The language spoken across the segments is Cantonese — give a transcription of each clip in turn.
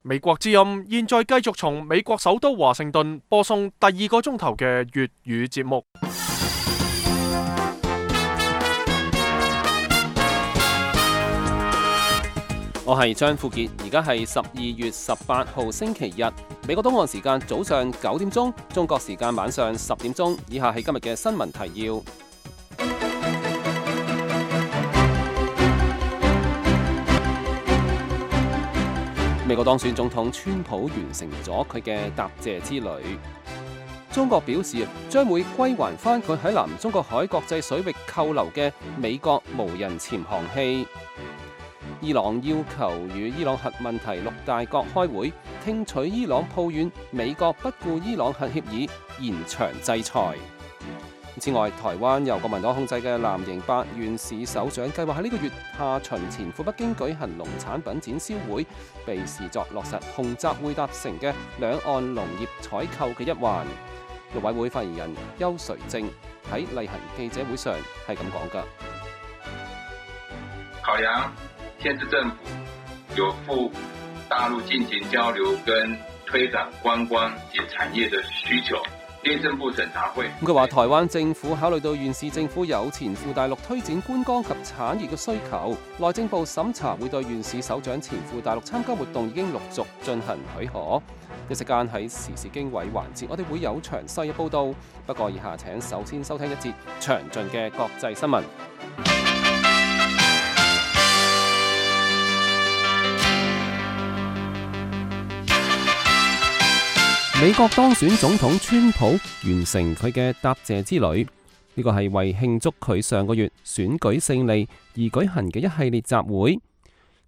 美國之音現在繼續從美國首都華盛頓播送第二個鐘頭嘅粵語節目。我係張富傑，而家係12月18號星期日，美國東岸時間早上9點鐘，中國時間晚上10點鐘。以下係今日嘅新聞提要。美國當選總統川普完成咗佢嘅答謝之旅。中國表示將會歸還返佢喺南中國海國際水域扣留嘅美國無人潛航器。伊朗要求與伊朗核問題6大國開會，聽取伊朗抱怨美國不顧伊朗核協議，延長制裁。此外，台灣由國民黨控制嘅藍營8縣市首長計劃喺呢個月下旬前赴北京舉行農產品展銷會，被視作落實洪習會達成嘅兩岸農業採購嘅一環。陸委會發言人邱垂正喺例行記者會上係咁講㗎。考量縣市政府有赴大陸進行交流跟推展觀光及產業的需求，內政部審查會。佢話台灣政府考慮到縣市政府有前赴大陸推展觀光及產業嘅需求，內政部審查會對縣市首長前赴大陸參加活動已經陸續進行許可。一時間喺時事經緯環節，我哋會有詳細嘅報導。不過以下請首先收聽一節詳盡嘅國際新聞。美國當選總統川普完成佢嘅答謝之旅，呢個係為慶祝佢上個月選舉勝利而舉行嘅一系列集會。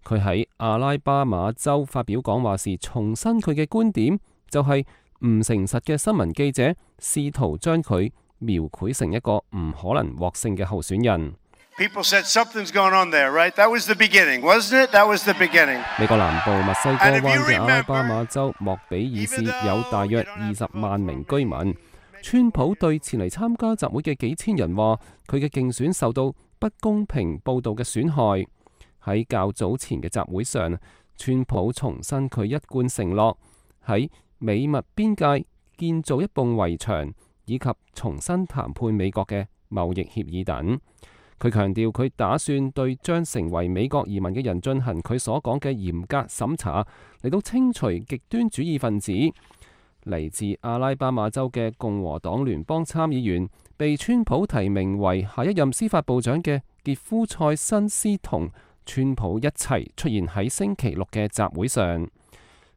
佢喺阿拉巴馬州發表講話時，重申佢嘅觀點，就係唔誠實嘅新聞記者試圖將佢描繪成一個唔可能獲勝嘅候選人。People said something's going on there, right? That was the beginning, wasn't it? That was the beginning. 美國南部密西哥灣嘅阿拉巴馬州莫比爾市有大約20萬名居民。川普對前嚟參加集會嘅幾千人話，佢嘅競選受到不公平報導嘅損害。喺較早前嘅集會上，川普重申佢一貫承諾喺美墨邊界建造一埲圍牆，以及重新談判美國嘅貿易協議等。佢強調佢打算對將成為美國移民嘅人進行佢所講嘅嚴格審查，嚟到清除極端主義分子。嚟自阿拉巴馬州嘅共和黨聯邦參議員，被川普提名為下一任司法部長嘅傑夫塞辛斯同川普一齊出現喺星期六嘅集會上。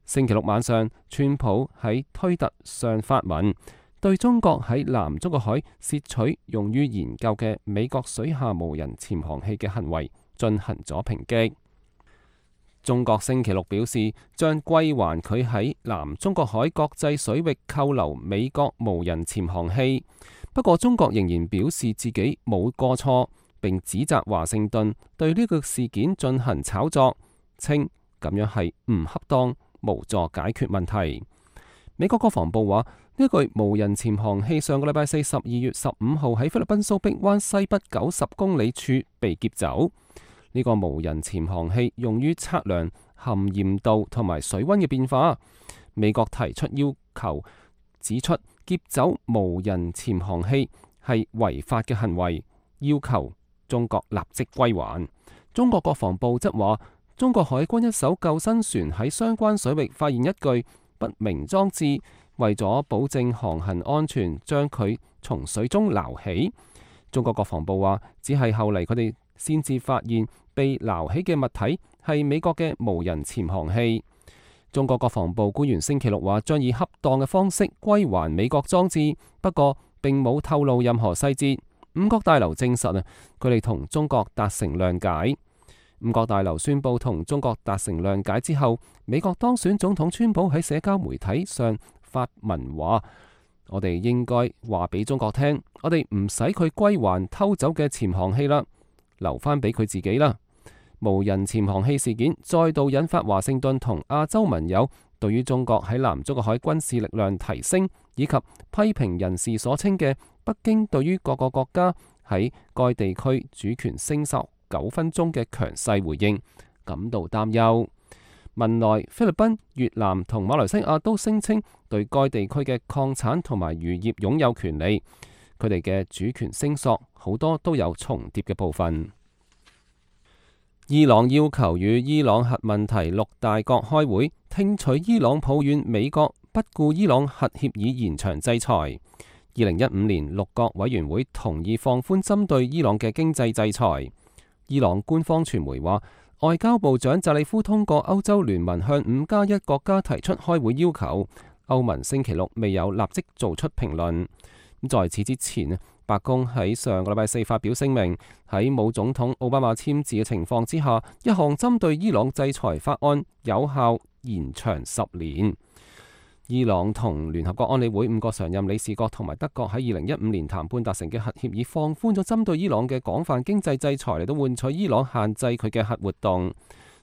星期六晚上，川普喺推特上發文，對中國喺南中國海竊取用於研究嘅美國水下無人潛航器嘅行為進行咗抨擊。中國星期六表示將歸還佢喺南中國海國際水域扣留美國無人潛航器，不過中國仍然表示自己冇過錯，並指責華盛頓對呢個事件進行炒作，稱咁樣係唔恰當，無助解決問題。美國國防部話，呢具無人潛航器上個禮拜四12月15號喺菲律賓蘇碧灣西北90公里處被劫走。呢個無人潛航器用於測量含鹽度同埋水溫嘅變化。美國提出要求，指出劫走無人潛航器係違法嘅行為，要求中國立即歸還。中國國防部則話，中國海軍一艘救生船喺相關水域發現一具不明裝置，為咗保證航行安全，將佢從水中撈起。中國國防部話，只係後嚟佢哋先至發現被撈起嘅物體係美國嘅無人潛航器。中國國防部官員星期六話，將以恰當嘅方式歸還美國裝置，不過並冇透露任何細節。五角大樓證實佢哋同中國達成諒解。五角大樓宣布同中國達成諒解之後，美國當選總統川普喺社交媒體上發文話，我哋應該話俾中國聽，我哋唔使佢歸還偷走嘅潛航器啦，留翻俾佢自己啦。無人潛航器事件再度引發華盛頓同亞洲盟友對於中國喺南中國海軍事力量提升，以及批評人士所稱嘅北京對於各個國家喺該地區主權聲索糾紛中嘅強勢回應感到擔憂。文萊、菲律賓、越南同馬來西亞都聲稱對該地區嘅礦產同埋漁業擁有權利，佢哋嘅主權聲索好多都有重疊嘅部分。伊朗要求與伊朗核問題6大國開會，聽取伊朗抱怨美國不顧伊朗核協議延長制裁。2015年6國委員會同意放寬針對伊朗嘅經濟制裁。伊朗官方傳媒話，外交部長扎里夫通過歐洲聯盟向5+1國家提出開會要求，歐盟星期6未有立即做出評論。在此之前，白宮喺上個禮拜4發表聲明，喺冇總統奧巴馬簽字嘅情況之下，一項針對伊朗制裁法案有效延長10年。伊朗同聯合國安理會5個常任理事國同埋德國喺2015年談判達成嘅核協議，放寬咗針對伊朗嘅廣泛經濟制裁嚟到換取伊朗限制佢嘅核活動。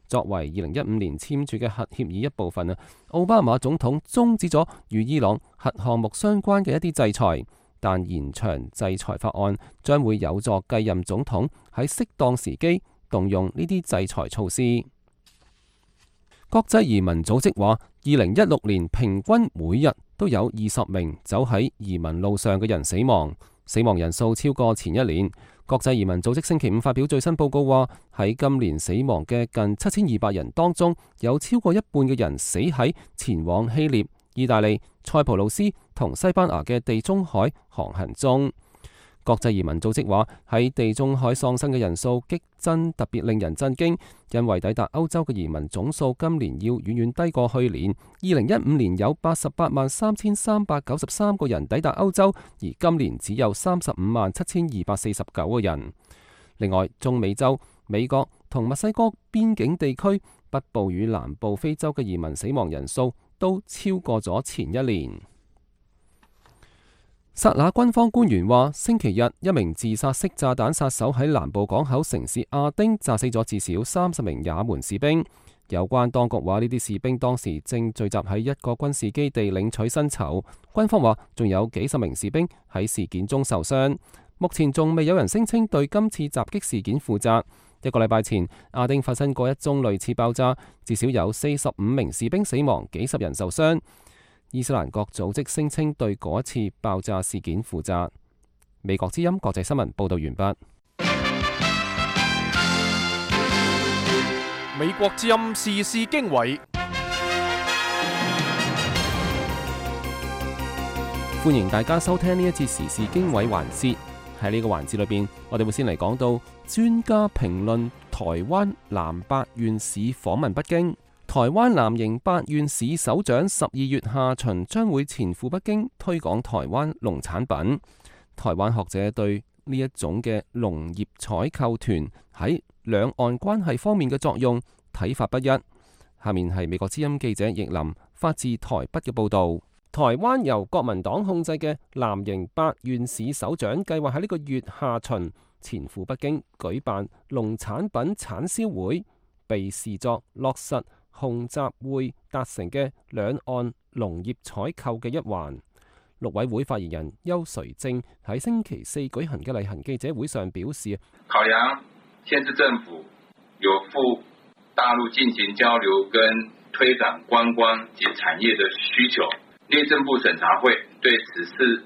作為2015年簽署嘅核協議一部分啊，奧巴馬總統終止咗與伊朗核項目相關嘅一啲制裁，但延長制裁法案將會有助繼任總統喺適當時機動用呢啲制裁措施。國際移民組織話，2016年平均每日都有20名走喺移民路上嘅人死亡，死亡人數超過前一年。國際移民組織星期5發表最新報告話，喺今年死亡嘅近7200人當中，有超過一半嘅人死喺前往希臘、意大利、塞浦路斯同西班牙嘅地中海航行中。國際移民組織話，喺地中海喪生嘅人數激增，特別令人震驚，因為抵達歐洲嘅移民總數今年要遠遠低過去年。2015年有883393個人抵達歐洲，而今年只有357,249個人。另外，中美洲、美國同墨西哥邊境地區、北部與南部非洲嘅移民死亡人數都超過咗前一年。薩那軍方官員話，星期日一名自殺式炸彈殺手喺南部港口城市亞丁炸死咗至少30名也門士兵。有關當局話，呢啲士兵當時正聚集喺一個軍事基地領取薪酬。軍方話，仲有幾十名士兵喺事件中受傷。目前仲未有人聲稱對今次襲擊事件負責。一個禮拜前，亞丁發生過一宗類似爆炸，至少有45名士兵死亡，幾十人受傷。伊斯蘭國組織聲稱對嗰一次爆炸事件負責。美國之音國際新聞報道完畢。美國之音時事經緯，歡迎大家收聽呢一節時事經緯環節。喺呢個環節裏邊，我哋會先嚟講到專家評論台灣南8縣市訪問北京。台灣南營8縣市首長12月下旬將會前赴北京推廣台灣農產品。台灣學者對呢一種嘅農業採購團喺兩岸關係方面嘅作用睇法不一。下面係美國之音記者易林發自台北嘅報導。台灣由國民黨控制嘅南營8縣市首長計劃喺呢個月下旬前赴北京舉辦農產品產銷會，被視作落實洪習會達成嘅兩岸農業採購嘅一環。陸委會發言人邱垂正喺星期4舉行嘅例行記者會上表示，考量縣市政府有赴大陸進行交流跟推展觀光及產業的需求，內政部審查會對此次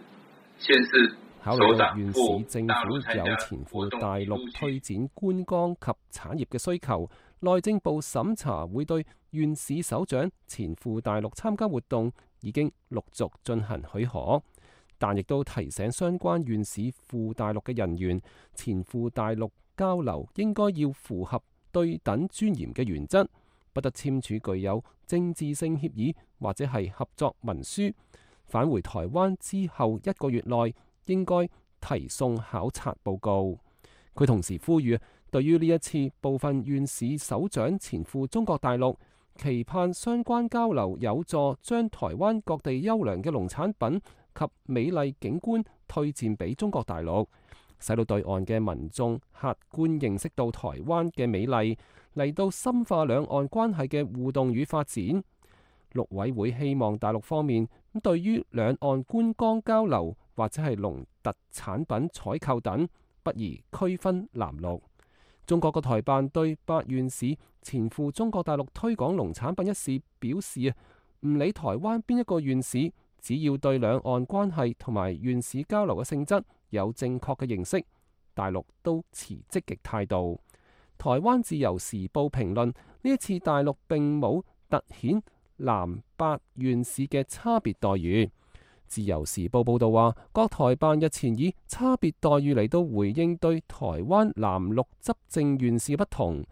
縣市考慮到縣市政府有前赴大陸推展觀光及產業嘅需求，內政部審查會對縣市首長前赴大陸參加活動已經陸續進行許可，但亦都提醒相關縣市赴大陸嘅人員，前赴大陸交流應該要符合對等尊嚴嘅原則，不得簽署具有政治性協議或者係合作文書。返回台灣之後1個月內應該提送考察報告。佢同時呼籲，對於呢一次部分縣市首長前赴中國大陸，期盼相關交流有助將台灣各地優良嘅農產品及美麗景觀推薦俾中國大陸，使到對岸嘅民眾客觀認識到台灣嘅美麗，嚟到深化兩岸關係嘅互動與發展。陸委會希望大陸方面對於兩岸觀光交流或者係農特產品採購等，不宜區分藍綠。中國國台辦對白縣市前赴中國大陸推廣農產品一事表示唔理台灣邊一個縣市，只要對兩岸關係同埋縣市交流嘅性質有正確嘅認識，大陸都持積極態度。台灣自由時報評論，呢一次大陸並冇凸顯南白縣市嘅差別待遇。自由時報報導話，國台辦日前以差別待遇嚟到回應對台灣南陸執政縣市不同，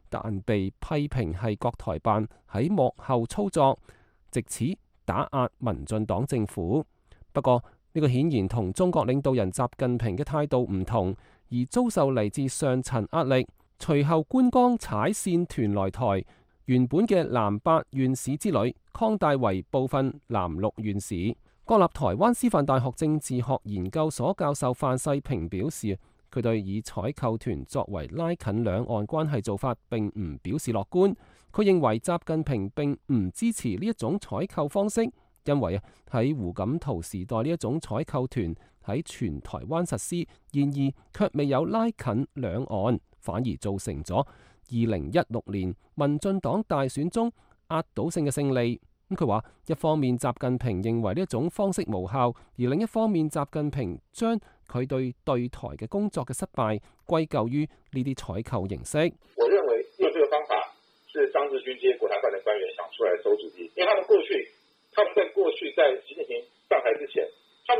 但被批評係國台辦喺幕後操作，藉此打壓民進黨政府。不過呢個顯然同中國領導人習近平嘅態度唔同，而遭受嚟自上層壓力。隨後觀光踩線團來台，原本嘅南白縣市之旅擴大為部分南陸縣市。國立台灣師範大學政治學研究所教授范世平表示，佢對以採購團作為拉近兩岸關係做法並唔表示樂觀。佢認為習近平並唔支持呢一種採購方式，因為喺胡錦濤時代呢一種採購團喺全台灣實施，然而卻未有拉近兩岸，反而造成咗2016年民進黨大選中壓倒性嘅勝利。佢話一方面習近平認為呢一種方式無效，而另一方面習近平將佢對台嘅工作嘅失敗歸咎於呢啲採購形式。我認為用這個方法是張志軍這些國台辦的官員想出來餿主意，因為他們在過去在習近平上台之前，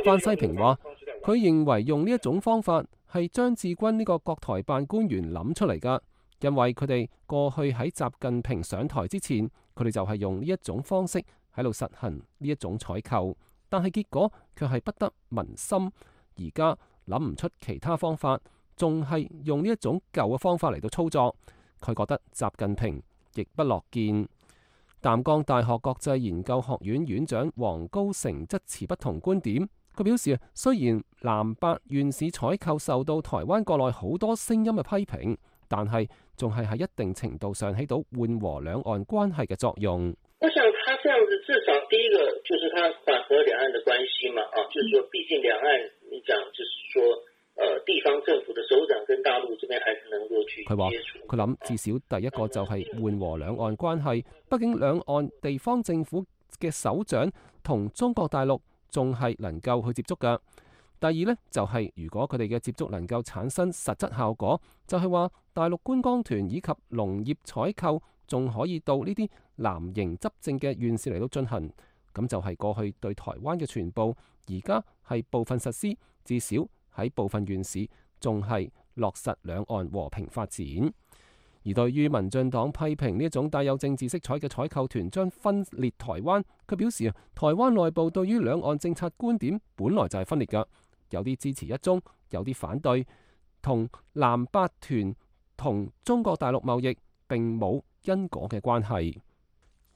范世平話佢認為用呢一種方法係張志軍呢個國台辦官員諗出嚟㗎，因為佢哋過去喺習近平上台之前，佢哋就係用呢一種方式喺度實行呢一種採購，但係結果卻係不得民心。而家諗唔出其他方法，仲係用呢一種舊嘅方法嚟到操作。佢覺得習近平亦不樂見。淡江大學國際研究學院院長黃高成則持不同觀點。佢表示，雖然南白縣市採購受到台灣國內好多聲音嘅批評，但係仲係喺一定程度上起到緩和兩岸關係嘅作用。我想他這樣子，至少第一個就是他緩和兩岸的關係嘛，就是說畢竟兩岸，你講就是說，地方政府的首長跟大陸這邊還是能夠去接觸。佢話佢諗至少第一個就係緩和兩岸關係，畢竟兩岸地方政府嘅首長同中國大陸仲係能夠去接觸㗎。第二呢，就係如果佢哋嘅接觸能夠產生實質效果，就係話大陸觀光團以及農業採購仲可以到呢啲藍營執政嘅縣市嚟到進行，咁就係過去對台灣嘅全部，而家係部分實施，至少喺部分縣市仲係落實兩岸和平發展。而對於民進黨批評呢一種帶有政治色彩嘅採購團將分裂台灣，佢表示台灣內部對於兩岸政策觀點本來就係分裂㗎。有啲支持一中，有啲反對，同南白團同中國大陸貿易並冇因果嘅關係。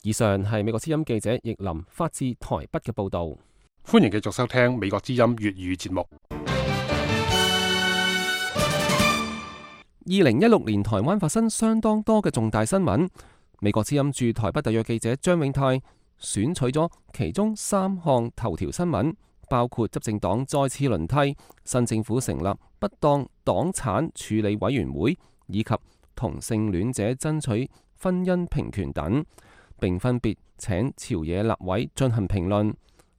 以上係美國之音記者易林發自台北嘅報導。歡迎繼續收聽美國之音粵語節目。2016年台灣發生相當多嘅重大新聞，美國之音駐台北特約記者張永泰選取咗其中3項頭條新聞。包括執政黨再次輪替、新政府成立不當黨產處理委員會，以及同性戀者爭取婚姻平權等，並分別請朝野立委進行評論。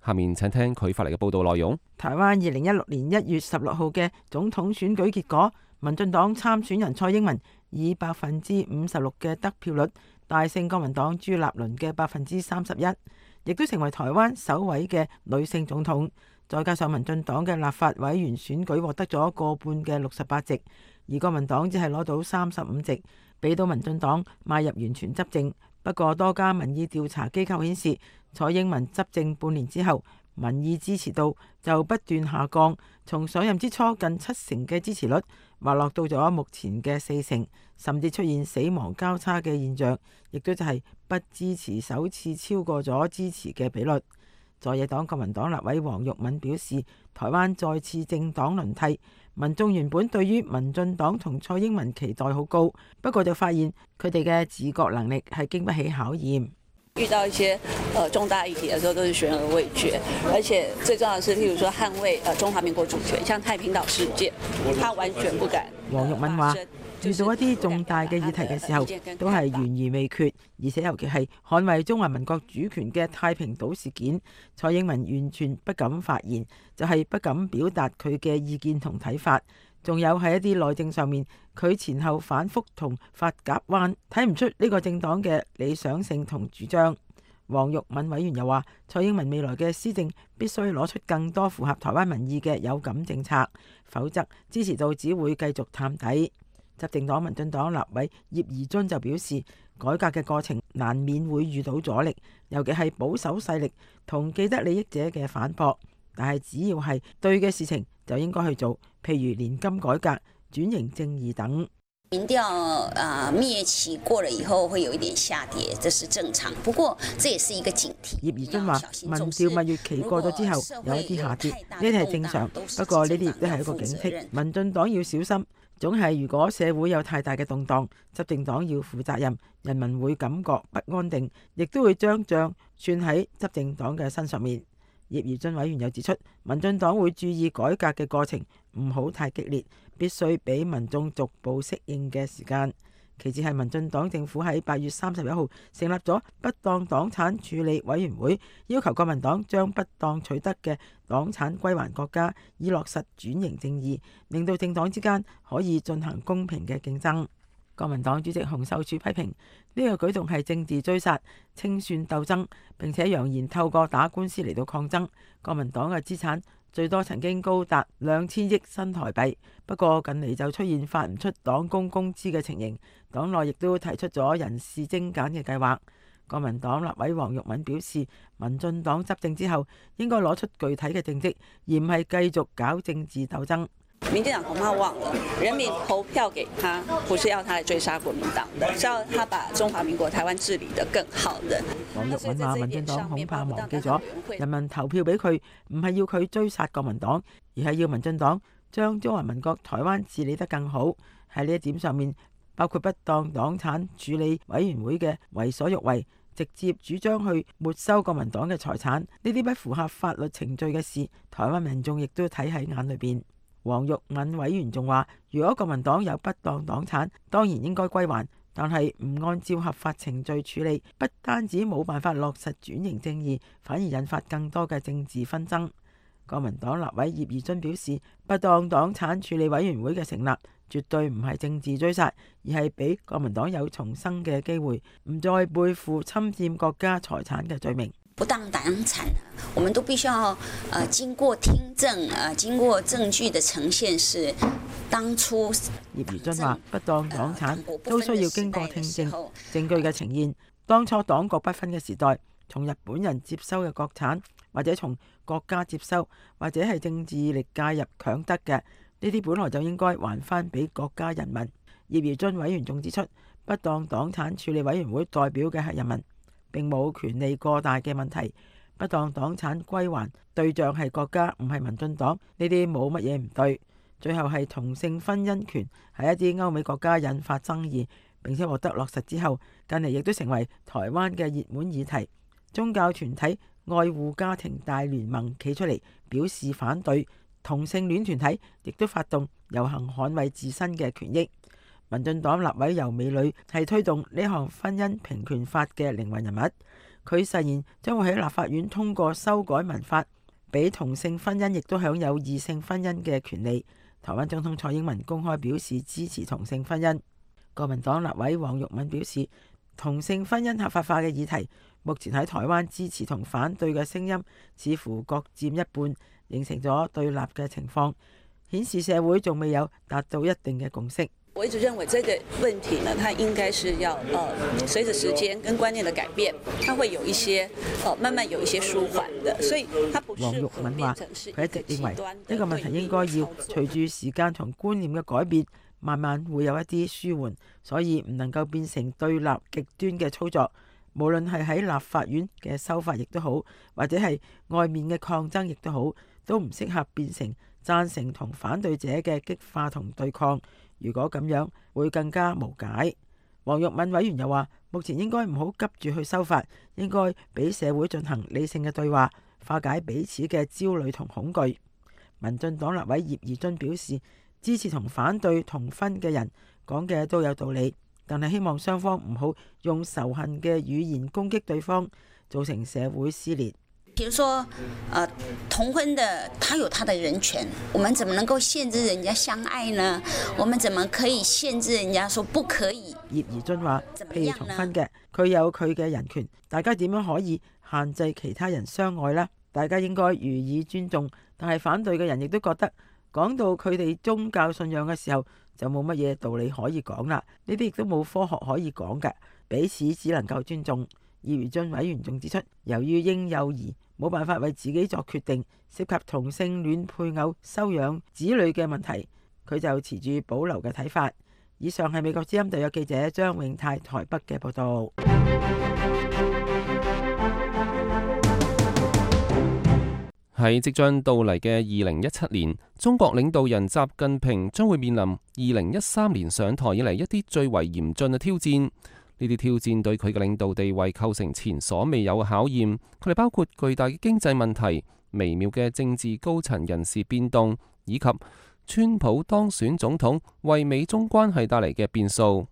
下面請聽佢發嚟嘅報道內容。台灣2016年1月16號嘅總統選舉結果，民進黨參選人蔡英文以56%嘅得票率大勝國民黨朱立倫嘅31%。亦都成為台灣首位嘅女性總統，再加上民進黨嘅立法委員選舉獲得咗過半嘅68席，而國民黨只係攞到35席，俾到民進黨邁入完全執政。不過多家民意調查機構顯示，蔡英文執政半年之後，民意支持度就不斷下降，從上任之初近70%嘅支持率滑落到咗目前嘅40%，甚至出現死亡交叉嘅現象，亦都就係不支持首次超過咗支持嘅比率。在野黨國民黨立委黃玉敏表示，台灣再次政黨輪替，民眾原本對於民進黨同蔡英文期待好高，不過就發現佢哋嘅自覺能力係經不起考驗。遇到一些重大議題的時候，都是懸而未決，而且最重要的是，譬如說捍衛中華民國主權，像太平島事件，他完全不敢。黃玉敏話：遇到一啲重大嘅議題嘅時候，都係懸而未決，而且尤其係捍衛中華民國主權嘅太平島事件，蔡英文完全不敢發言，就係不敢表達佢嘅意見同睇法。仲有喺一啲內政上面，佢前後反覆同發夾彎，睇唔出呢個政黨嘅理想性同主張。黃玉敏委員又話，蔡英文未來嘅施政必須攞出更多符合台灣民意嘅有感政策，否則支持度只會繼續探底。執政黨民進黨立委葉宜津就表示，改革嘅過程難免會遇到阻力，尤其係保守勢力同既得利益者嘅反駁，但係只要係對嘅事情就應該去做，譬如年金改革、轉型正義等。民調滅期過了以後會有一點下跌，這是正常。不過這也是一個警惕。葉宜津話：民調蜜月期過咗之後有一啲下跌，呢啲係正常。不過呢啲亦都係一個警惕，民進黨要小心。總係如果社會有太大嘅動盪，執政黨要負責任，人民會感覺不安定，亦都會將賬算喺執政黨嘅身上面。葉宜津委員又指出，民進黨會注意改革嘅過程唔好太激烈，必須俾民眾逐步適應嘅時間。其次係民進黨政府喺8月31號成立咗不當黨產處理委員會，要求國民黨將不當取得嘅黨產歸還國家，以落實轉型正義，令到政黨之間可以進行公平嘅競爭。國民黨主席洪秀柱批評呢個舉動係政治追殺、清算鬥爭，並且揚言透過打官司嚟到抗爭。國民黨嘅資產最多曾經高達2000億新台幣，不過近嚟就出現發唔出黨工工資嘅情形，黨內亦都提出咗人事精簡嘅計劃。國民黨立委黃玉敏表示，民進黨執政之後應該攞出具體嘅政績，而唔係繼續搞政治鬥爭。民進黨恐怕忘了，人民投票給他，不是要他來追殺國民黨的，是要他把中華民國台灣治理得更好的。黃玉敏話：民進黨恐怕忘記咗，人民投票俾佢，唔係要佢追殺國民黨，而係要民進黨將中華民國台灣治理得更好。喺呢一點上面，包括不當黨產處理委員會嘅為所欲為，直接主張去沒收國民黨嘅財產，呢啲不符合法律程序嘅事，台灣民眾亦都睇喺眼裏邊。黃玉敏委員仲話，如果國民黨有不當黨產，當然應該歸還，但係唔按照合法程序處理，不單止冇辦法落實轉型正義，反而引發更多嘅政治紛爭。國民黨立委葉宜津表示，不當黨產處理委員會嘅成立絕對唔係政治追殺，而係俾國民黨有重生嘅機會，唔再背負侵佔國家財產嘅罪名。不當黨產，我們都必須要經過聽證，經過證據的呈現是當初。葉宜津話：不當黨產都需要經過聽證，證據嘅呈現。當初黨國不分嘅時代，從日本人接收嘅國產，或者從國家接收，或者係政治力介入強得嘅，呢啲本來就應該還翻俾國家人民。葉宜津委員仲指出，不當黨產處理委員會代表嘅係人民，並冇權力過大嘅問題。不當黨產歸還對象係國家，唔係民進黨，呢啲冇乜嘢唔對。最後係同性婚姻權喺一啲歐美國家引發爭議，並且獲得落實之後，近嚟亦都成為台灣嘅熱門議題。宗教團體愛護家庭大聯盟企出嚟表示反對，同性戀團體亦都發動遊行捍衛自身嘅權益。民進黨立委游美女係推動呢項婚姻平權法嘅靈魂人物，佢誓言將會喺立法院通過修改民法，俾同性婚姻亦都享有異性婚姻嘅權利。台灣總統蔡英文公開表示支持同性婚姻。國民黨立委黃玉敏表示，同性婚姻合法化嘅議題，目前喺台灣支持同反對嘅聲音似乎各佔一半，形成咗對立嘅情況，顯示社會仲未有達到一定嘅共識。我一直認為這個問題呢，它應該是要隨着時間跟觀念的改變，它會有一些慢慢有一些舒緩的，所以它不是。黃玉敏話：佢一直認為呢個問題應該要隨住時間同觀念嘅改變，慢慢會有一啲舒緩，所以唔能夠變成對立極端嘅操作。無論係喺立法院嘅修法亦都好，或者係外面嘅抗爭亦都好，都唔適合變成贊成同反對者嘅激化同對抗。如果咁樣會更加無解。黃玉敏委員又話，目前應該唔好急住去修法，應該俾社會進行理性嘅對話，化解彼此嘅焦慮同恐懼。民進黨立委葉宜津表示，支持同反對同婚嘅人講嘅都有道理，但係希望雙方唔好用仇恨嘅語言攻擊對方，造成社會撕裂。比如說，同婚的他有他的人權，我們怎麼能夠限制人家相愛呢？我們怎麼可以限制人家說不可以？葉宜津話：譬如同婚嘅，佢有佢嘅人權，大家點樣可以限制其他人相愛呢？大家應該予以尊重。但係反對嘅人亦都覺得，講到佢哋宗教信仰嘅時候，就冇乜嘢道理可以講啦。呢啲亦都冇科學可以講嘅，彼此只能夠尊重。葉宜津委員仲指出，由於嬰幼兒冇辦法為自己作決定，涉及同性戀配偶收養子女嘅問題，佢就持住保留嘅睇法。以上係美國之音特約記者張永泰台北嘅報道。喺即將到嚟嘅2017年，中國領導人習近平將會面臨2013年上台以嚟一啲最為嚴峻嘅挑戰。呢啲挑戰對佢嘅領導地位構成前所未有嘅考驗，佢哋包括巨大嘅經濟問題、微妙嘅政治高層人事變動，以及川普當選總統為美中關係帶嚟嘅變數。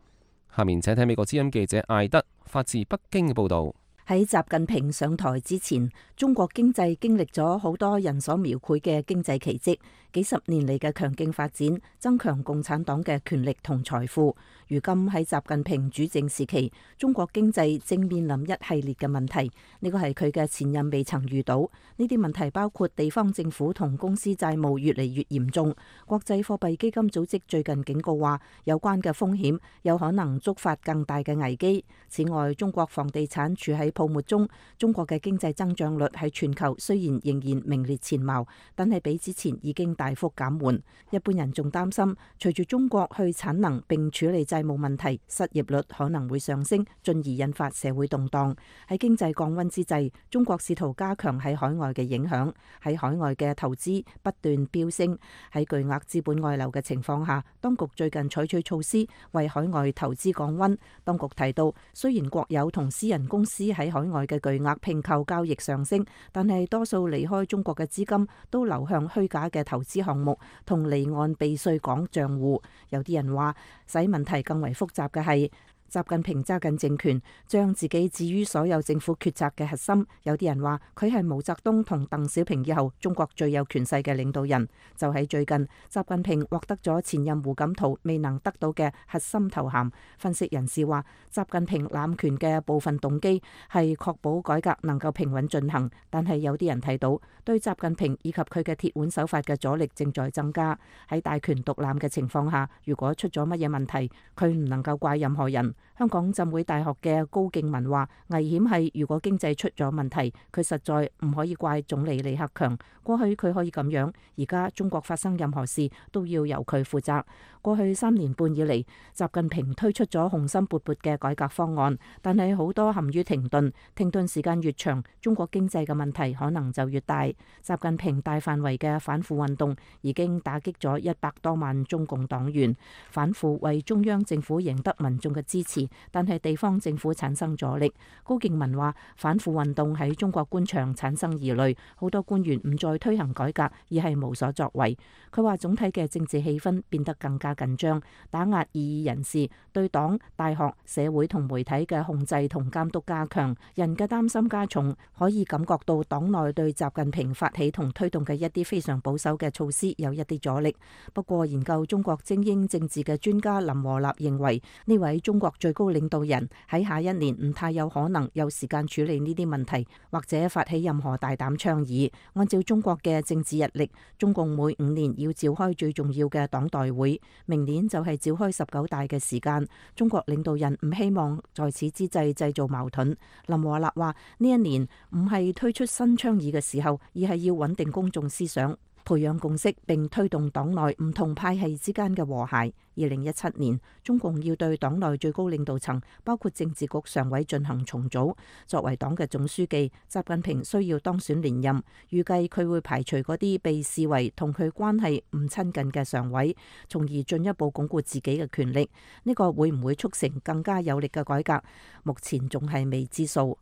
下面請睇美國之音記者艾德發自北京嘅報導。喺習近平上台之前，中國經濟經歷咗好多人所描繪嘅經濟奇蹟，幾十年嚟嘅強勁發展，增強共產黨嘅權力同財富。如今喺習近平主政時期，中國經濟正面臨一系列嘅問題，呢個係佢嘅前任未曾遇到。呢啲問題包括地方政府同公司債務越嚟越嚴重。國際貨幣基金組織最近警告話，有關嘅風險有可能觸發更大嘅危機。此外，中國房地產處喺泡沫中，中國嘅經濟增長率喺全球雖然仍然名列前茅，但係比之前已經大幅減緩。一般人仲擔心，隨住中國去產能並處理債務問題，失業率可能會上升，進而引發社會動盪。喺經濟降溫之際，中國試圖加強喺海外嘅影響，喺海外嘅投資不斷飆升。喺巨額資本外流嘅情況下，當局最近採取措施為海外投資降溫。當局提到，雖然國有同私人公司喺海外嘅巨額併購交易上升，但係多數離開中國嘅資金都流向虛假嘅投資項目同離岸避稅港賬戶。有啲人話，使問題更為複雜嘅係，習近平揸緊政權，將自己置於所有政府決策嘅核心。有啲人話佢係毛澤東同鄧小平以後中國最有權勢嘅領導人。就喺最近，習近平獲得咗前任胡錦濤未能得到嘅核心頭銜。分析人士話，習近平攬權嘅部分動機係確保改革能夠平穩進行，但係有啲人睇到對習近平以及佢嘅鐵腕手法嘅阻力正在增加。喺大權獨攬嘅情況下，如果出咗乜嘢問題，佢唔能夠怪任何人。香港浸會大學嘅高敬文話，危險係如果經濟出咗問題，佢實在唔可以怪總理李克強。過去佢可以咁樣，而家中國發生任何事都要由佢負責。過去3年半以嚟，習近平推出咗雄心勃勃嘅改革方案，但係好多陷於停頓，停頓時間越長，中國經濟嘅問題可能就越大。習近平大範圍嘅反腐運動已經打擊咗100多萬中共黨員，反腐為中央政府贏得民眾嘅支持，但係地方政府產生阻力。高敬文話，反腐運動喺中國官場產生疑慮，好多官員唔再推行改革，而係無所作為。佢話總體嘅政治氣氛變得更加緊張，打壓異議人士，對黨、大學、社會同媒體嘅控制同監督加強，人嘅擔心加重，可以感覺到黨內對習近平發起同推動嘅一啲非常保守嘅措施有一啲阻力。不過，研究中國精英政治嘅專家林和立認為，呢位中國最高領導人喺下一年唔太有可能有時間處理呢啲問題，或者發起任何大膽倡議。按照中國嘅政治日曆，中共每5年要召開最重要嘅黨代會，明年就係召開19大嘅時間。中國領導人唔希望在此之際製造矛盾。林和立話：呢一年唔係推出新倡議嘅時候，而係要穩定公眾思想，培養共識並推動黨內唔同派系之間嘅和諧。2017年，中共要對黨內最高領導層，包括政治局常委進行重組。作為黨嘅總書記，習近平需要當選連任，預計佢會排除嗰啲被視為同佢關係唔親近嘅常委，從而進一步鞏固自己嘅權力。呢個會唔會促成更加有力嘅改革？目前仲係未知數。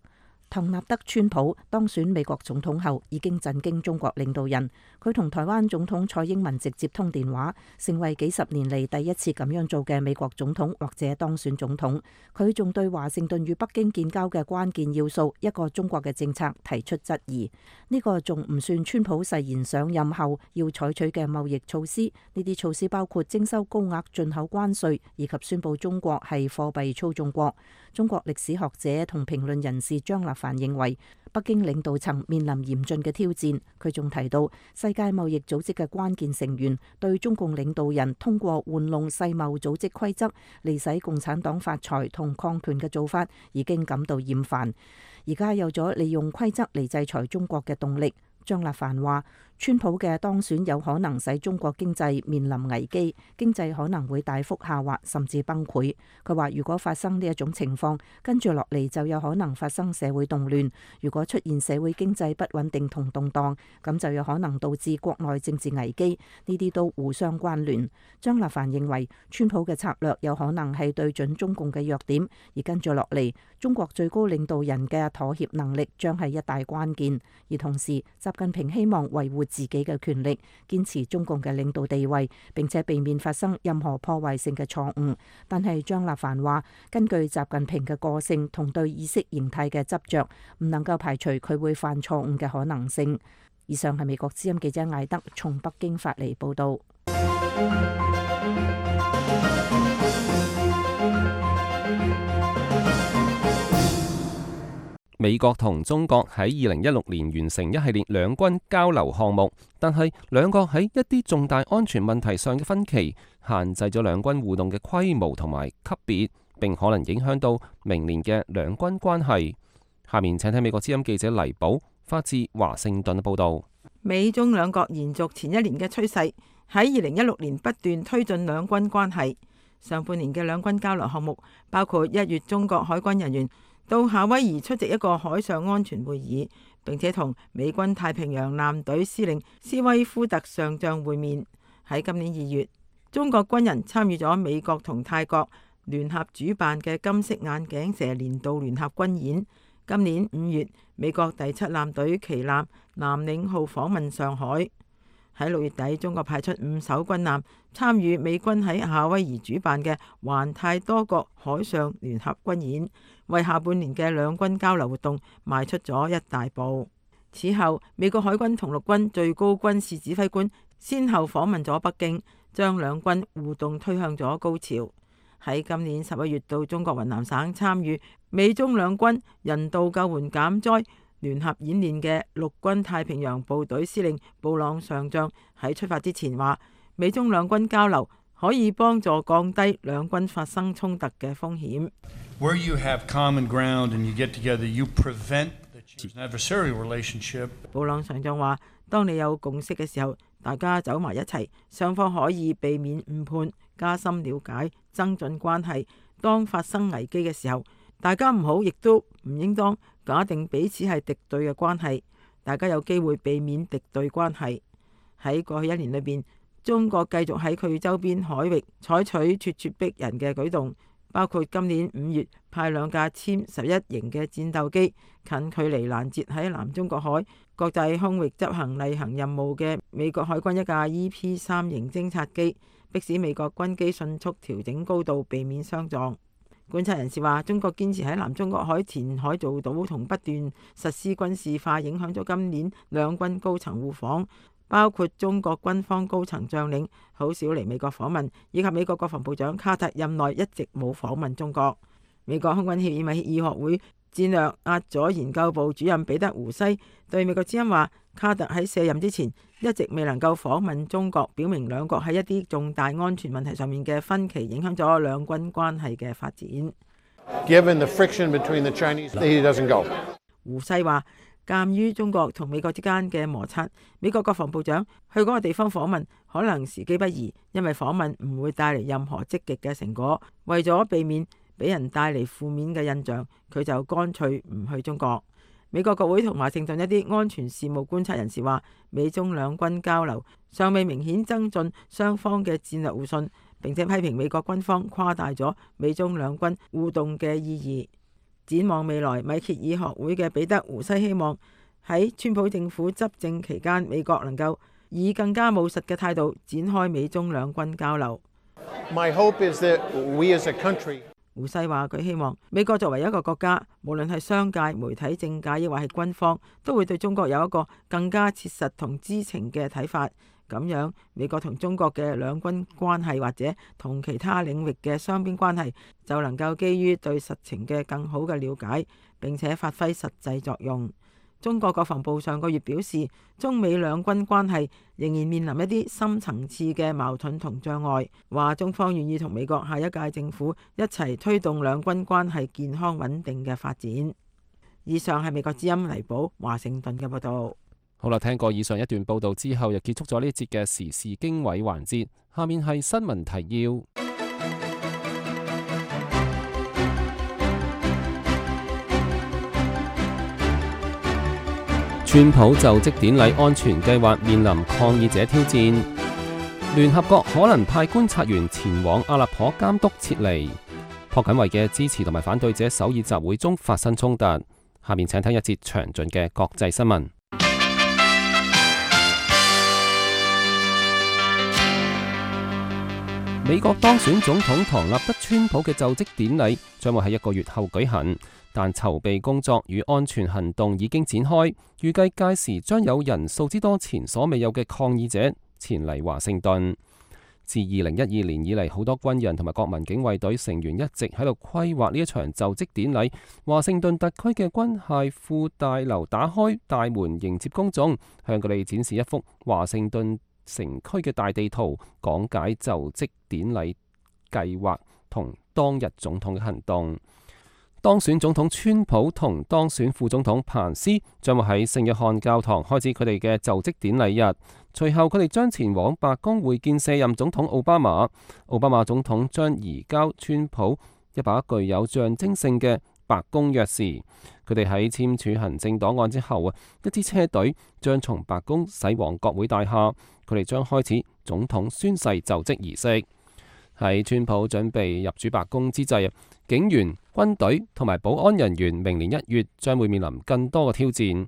唐納德·川普當選美國總統後，已經震驚中國領導人。佢同台灣總統蔡英文直接通電話，成為幾十年嚟第一次咁樣做嘅美國總統或者當選總統。佢仲對華盛頓與北京建交嘅關鍵要素一個中國嘅政策提出質疑。呢個仲唔算川普誓言上任後要採取嘅貿易措施。呢啲措施包括徵收高額進口關稅，以及宣布中國係貨幣操縱國。中國歷史學者同評論人士張立凡認為，北京領導層面臨嚴峻嘅挑戰。佢仲提到，世界貿易組織嘅關鍵成員對中共領導人通過玩弄世貿組織規則嚟使共產黨發財同擴權嘅做法已經感到厭煩，而家有咗利用規則嚟制裁中國嘅動力。張立凡話，川普嘅當選有可能使中國經濟面臨危機，經濟可能會大幅下滑甚至崩潰。佢話如果發生呢一種情況，跟住落嚟就有可能發生社會動亂。如果出現社會經濟不穩定同動盪，咁就有可能導致國內政治危機，呢啲都互相關聯。張立凡認為，川普嘅策略有可能係對準中共嘅弱點，而跟住落嚟，中國最高領導人嘅妥協能力將係一大關鍵。而同時，習近平希望維護自己嘅權力，堅持中共嘅領導地位，並且避免發生任何破壞性嘅錯誤。但係張立凡話，根據習近平嘅個性同對意識形態嘅執着，唔能夠排除佢會犯錯誤嘅可能性。以上係美國之音記者艾德從北京發嚟報道。美國同中國喺2016年完成一系列兩軍交流項目，但係兩國喺一啲重大安全問題上嘅分歧，限制咗兩軍互動嘅規模同埋級別，並可能影響到明年嘅兩軍關係。下面請睇美國之音記者黎寶發自華盛頓嘅報道。美中兩國延續前一年嘅趨勢，喺2016年不斷推進兩軍關係。上半年嘅兩軍交流項目包括1月中國海軍人員到夏威夷出席一個海上安全會議，並且同美軍太平洋艦隊司令斯威夫特上將會面。喺今年2月，中國軍人參與咗美國同泰國聯合主辦嘅金色眼鏡蛇年度聯合軍演。今年5月，美國第7艦隊旗艦南領號訪問上海。喺6月底，中國派出5艘軍艦參與美軍喺夏威夷主辦嘅環太多國海上聯合軍演，為下半年嘅兩軍交流活動邁出咗一大步。此後，美國海軍同陸軍最高軍事指揮官先後訪問咗北京，將兩軍互動推向咗高潮。喺今年11月到中國雲南省參與美中兩軍人道救援減災聯合演練嘅陸軍太平洋部隊司令布朗上將喺出發之前話，美中兩軍交流可以幫助降低兩軍發生衝突嘅風險。Where you have common ground and you get together, you prevent an adversarial relationship. 布朗上將話，當你有共識嘅時候，大家走埋一齊，雙方可以避免誤判，加深了解，增進關係。當發生危機嘅時候，大家唔好亦都唔應當假定彼此係敵對嘅關係，大家有機會避免敵對關係。喺過去一年裏邊，中國繼續喺佢周邊海域採取咄咄逼人嘅舉動，包括今年5月派2架殲11型嘅戰鬥機近距離攔截喺南中國海國際空域執行例行任務嘅美國海軍一架 EP-3 型偵察機，迫使美國軍機迅速調整高度，避免相撞。觀察人士話，中國堅持喺南中國海填海造島同不斷實施軍事化，影響咗今年兩軍高層互訪，包括中國軍方高層將領好少嚟美國訪問，以及美國國防部長卡特任內一直冇訪問中國。美國空軍協議與學會戰略壓左研究部主任彼得胡西對美國之音話，卡特喺卸任之前一直未能夠訪問中國，表明兩國喺一啲重大安全問題上面嘅分歧影響咗兩軍關係嘅發展。Given the friction between the Chinese, he doesn't go. 胡西話，鑑於中國同美國之間嘅摩擦，美國國防部長去嗰個地方訪問可能時機不宜，因為訪問唔會帶嚟任何積極嘅成果。為咗避免俾人帶嚟負面嘅印象，佢就乾脆唔去中國。美國國會同華盛頓一啲安全事務觀察人士話，美中兩軍交流尚未明顯增進雙方嘅戰略互信，並且批評美國軍方誇大咗美中兩軍互動嘅意義。展望未來，米歇爾學會嘅彼得胡西希望喺川普政府執政期間，美國能夠以更加務實嘅態度展開美中兩軍交流。My hope is that we as a country 胡西話：佢希望美國作為一個國家，無論係商界、媒體、政界，抑或係軍方，都會對中國有一個更加切實同知情嘅睇法。咁樣，美國同中國嘅兩軍關係或者同其他領域嘅雙邊關係，就能夠基於對實情嘅更好嘅了解，並且發揮實際作用。中國國防部上個月表示，中美兩軍關係仍然面臨一啲深層次嘅矛盾同障礙，話中方願意同美國下一屆政府一齊推動兩軍關係健康穩定嘅發展。以上係美國之音黎寶華盛頓嘅報道。好啦，聽過以上一段報道之後，又結束咗呢一節嘅時事經緯環節。下面係新聞提要。川普就職典禮安全計劃面臨抗議者挑戰，聯合國可能派觀察員前往阿勒頗監督撤離。朴槿惠嘅支持同埋反對者首爾集會中發生衝突。下面請聽一節詳盡嘅國際新聞。美國當選總統唐納德·川普嘅就職典禮將會喺1個月後舉行，但籌備工作與安全行動已經展開，預計屆時將有人數之多前所未有嘅抗議者前嚟華盛頓。自2012年以嚟，好多軍人同埋國民警衛隊成員一直喺度規劃呢一場就職典禮。華盛頓特區嘅軍械庫大樓打開大門迎接公眾，向佢哋展示一幅華盛頓城區嘅大地圖，講解就職典禮計劃同當日總統嘅行動。當選總統川普同當選副總統彭斯將會喺聖約翰教堂開始佢哋嘅就職典禮日，隨後佢哋將前往白宮會見卸任總統奧巴馬。奧巴馬總統將移交川普一把具有象徵性嘅白宮鑰匙。佢哋喺簽署行政檔案之後，一支車隊將從白宮駛往國會大廈，佢哋將開始總統宣誓就職儀式。喺川普準備入主白宮之際，警員、軍隊同埋保安人員明年1月將會面臨更多嘅挑戰。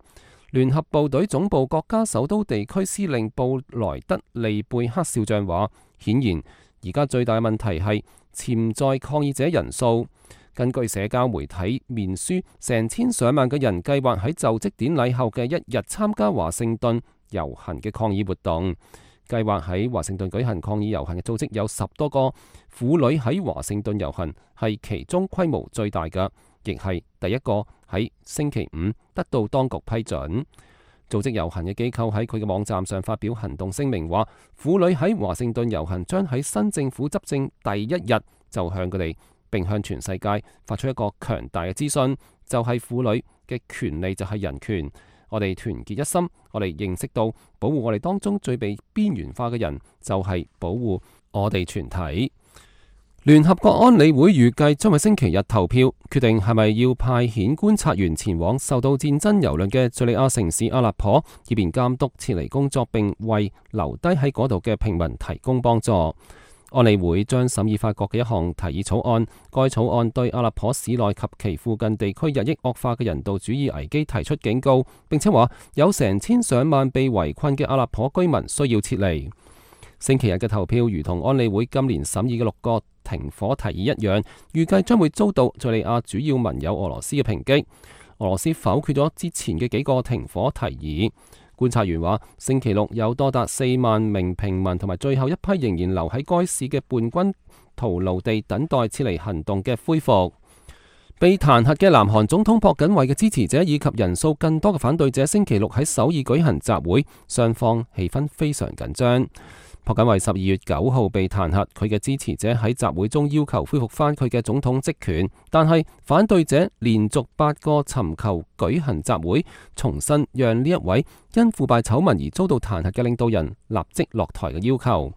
聯合部隊總部國家首都地區司令布萊德利貝克少將話，顯然而家最大嘅問題係潛在抗議者人數。根據社交媒體面書，成千上萬嘅人計劃喺就職典禮後嘅1日參加華盛頓遊行嘅抗議活動。計劃喺華盛頓舉行抗議遊行嘅組織有10多個，婦女喺華盛頓遊行係其中規模最大嘅，亦係第一個喺星期5得到當局批准。組織遊行嘅機構喺佢嘅網站上發表行動聲明，話婦女喺華盛頓遊行將喺新政府執政第1日就向佢哋並向全世界發出一個強大嘅資訊，就係婦女嘅權利就係人權。我哋團結一心，我哋認識到保護我哋當中最被邊緣化嘅人，就係保護我哋全體。聯合國安理會預計將喺星期日投票，決定係咪要派遣觀察員前往受到戰爭蹂躪嘅敘利亞城市阿勒頗，以便監督撤離工作，並為留低喺嗰度嘅平民提供幫助。安理會將審議法國嘅一項提議草案，該草案對阿勒頗市內及其附近地區日益惡化嘅人道主義危機提出警告，並且話有成千上萬被圍困嘅阿勒頗居民需要撤離。星期日嘅投票如同安理會今年審議嘅6個停火提議一樣，預計將會遭到敘利亞主要盟友俄羅斯嘅抨擊。俄羅斯否決咗之前嘅幾個停火提議。觀察員話，星期六有多達4萬名平民同埋最後一批仍然留喺該市嘅叛軍徒勞地等待撤離行動嘅恢復。被彈劾嘅南韓總統朴槿惠嘅支持者以及人數更多嘅反對者，星期六喺首爾舉行集會，雙方氣氛非常緊張。朴槿惠12月9號被彈劾，佢嘅支持者喺集會中要求恢復翻佢嘅總統職權，但係反對者連續8個尋求舉行集會，重新讓呢一位因腐敗醜聞而遭到彈劾嘅領導人立即落台嘅要求。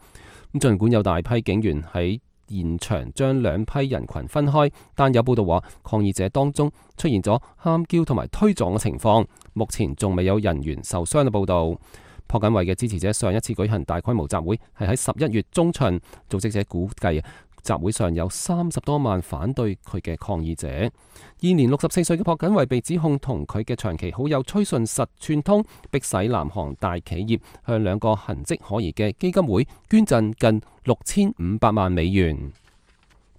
咁儘管有大批警員喺現場將兩批人群分開，但有報道話抗議者當中出現咗喊叫同埋推撞嘅情況，目前仲未有人員受傷嘅報道。朴槿惠嘅支持者上一次舉行大規模集會係喺11月中旬，組織者估計集會上有30多萬反對佢嘅抗議者。現年64歲嘅朴槿惠被指控同佢嘅長期好友崔順實串通，迫使南韓大企業向2個痕跡可疑嘅基金會捐贈近6500萬美元。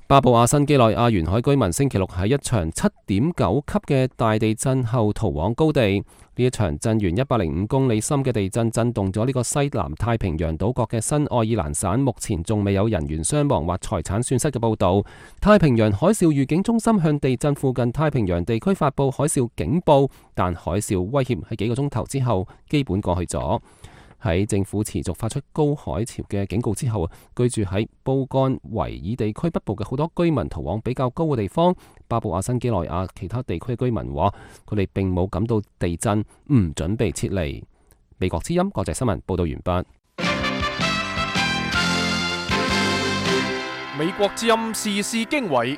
巴布亞新幾內亞沿海居民星期六喺一場7.9級嘅大地震後逃往高地。呢一場震源105公里深嘅地震震動咗呢個西南太平洋島國嘅新愛爾蘭省，目前仲未有人員傷亡或財產損失嘅報導。太平洋海嘯預警中心向地震附近太平洋地區發布海嘯警報，但海嘯威脅喺幾個鐘頭之後基本過去咗。喺政府持續發出高海潮嘅警告之後，居住喺布干維爾地區北部嘅好多居民逃往比較高嘅地方。巴布亞新幾內亞其他地區嘅居民話，佢哋並冇感到地震，唔準備撤離。美國之音國際新聞報道完畢。美國之音時事經緯。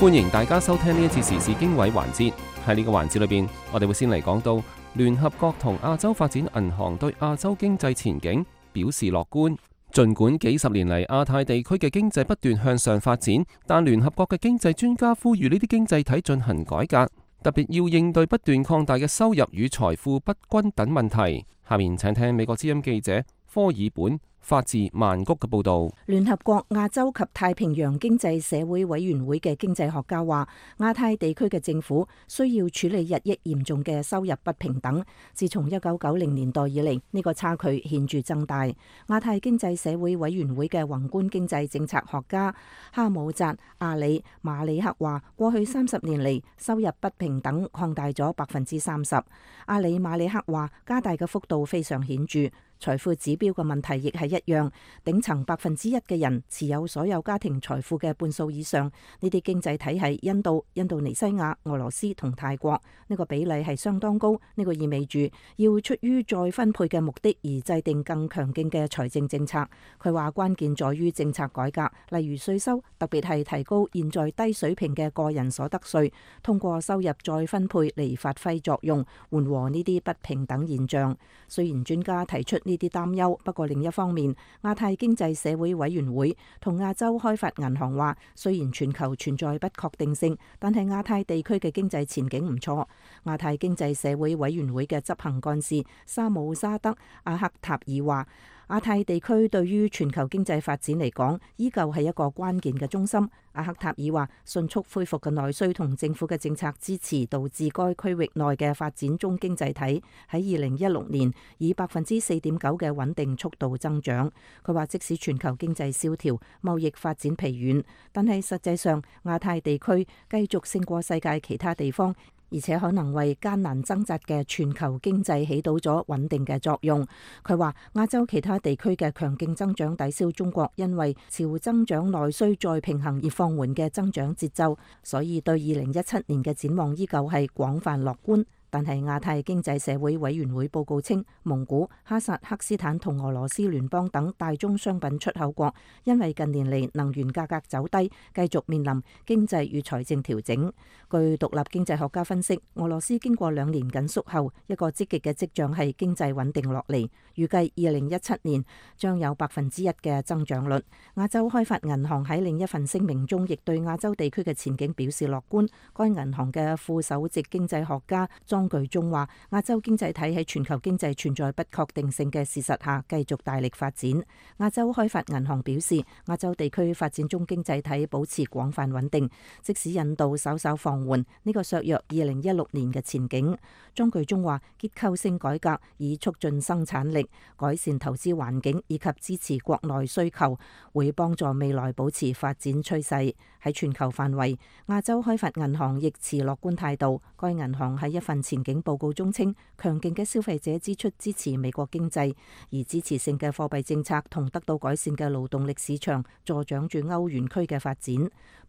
歡迎大家收聽呢一次時事經緯環節。喺呢個環節裏邊，我哋會先嚟講到聯合國同亞洲發展銀行對亞洲經濟前景表示樂觀。儘管幾十年嚟亞太地區嘅經濟不斷向上發展，但聯合國嘅經濟專家呼籲呢啲經濟體進行改革，特別要應對不斷擴大嘅收入與財富不均等問題。下面請聽美國之音記者科爾本發自曼谷嘅報導。聯合國亞洲及太平洋經濟社會委員會嘅經濟學家話，亞太地區嘅政府需要處理日益嚴重嘅收入不平等。自從1990年代以嚟，呢個差距顯著增大。亞太經濟社會委員會嘅宏觀經濟政策學家哈姆扎阿里馬里克話，過去30年嚟，收入不平等擴大咗30%。阿里馬里克話，加大嘅幅度非常顯著。財富指標嘅問題亦係一樣，頂層1%嘅人持有所有家庭財富嘅半數以上。呢啲經濟體係印度、印度尼西亞、俄羅斯同泰國，呢個比例係相當高。呢個意味住要出於再分配嘅目的而制定更強勁嘅財政政策。佢話關鍵在於政策改革，例如稅收，特別係提高現在低水平嘅個人所得稅，通過收入再分配嚟發揮作用，緩和呢啲不平等現象。雖然專家提出呢啲擔憂，不過另一方面，亞太經濟社會委員會同亞洲開發銀行話，雖然全球存在不確定性，但係亞太地區嘅經濟前景唔錯。亞太經濟社會委員會嘅執行幹事沙姆沙德阿克塔爾話，亞太地區對於全球經濟發展嚟講，依舊係一個關鍵嘅中心。阿克塔爾話，迅速恢復嘅內需同政府嘅政策支持，導致該區域內嘅發展中經濟體喺2016年以4.9%嘅穩定速度增長。佢話，即使全球經濟蕭條、貿易發展疲軟，但係實際上亞太地區繼續勝過世界其他地方，而且可能為艱難掙扎嘅全球經濟起到咗穩定嘅作用。佢話，亞洲其他地區嘅強勁增長抵消中國因為朝增長內需再平衡而放緩嘅增長節奏，所以對2017年嘅展望依舊係廣泛樂觀。但係亞太經濟社會委員會報告稱，蒙古、哈薩克斯坦同俄羅斯聯邦等大宗商品出口國因為近年嚟能源價格走低，繼續面臨經濟與財政調整。據獨立經濟學家分析，俄羅斯經過2年緊縮後，一個積極嘅跡象係經濟穩定落嚟，預計2017年將有1%嘅增長率。亞洲開發銀行喺另一份聲明中，亦對亞洲地區嘅前景表示樂觀。該銀行嘅副首席經濟學家莊具中話，亞洲經濟體喺全球經濟存在不確定性嘅事實下，繼續大力發展。亞洲開發銀行表示，亞洲地區發展中經濟體保持廣泛穩定，即使印度稍稍放緩，呢個削弱2016年嘅前景。莊具中話，結構性改革以促進生產力、改善投資環境以及支持國內需求，會幫助未來保持發展趨勢。喺全球範圍，亞洲開發銀行亦持樂觀態度。該銀行喺一份前景報告中稱，強勁嘅消費者支出支持美國經濟，而支持性嘅貨幣政策同得到改善嘅勞動力市場助長住歐元區嘅發展。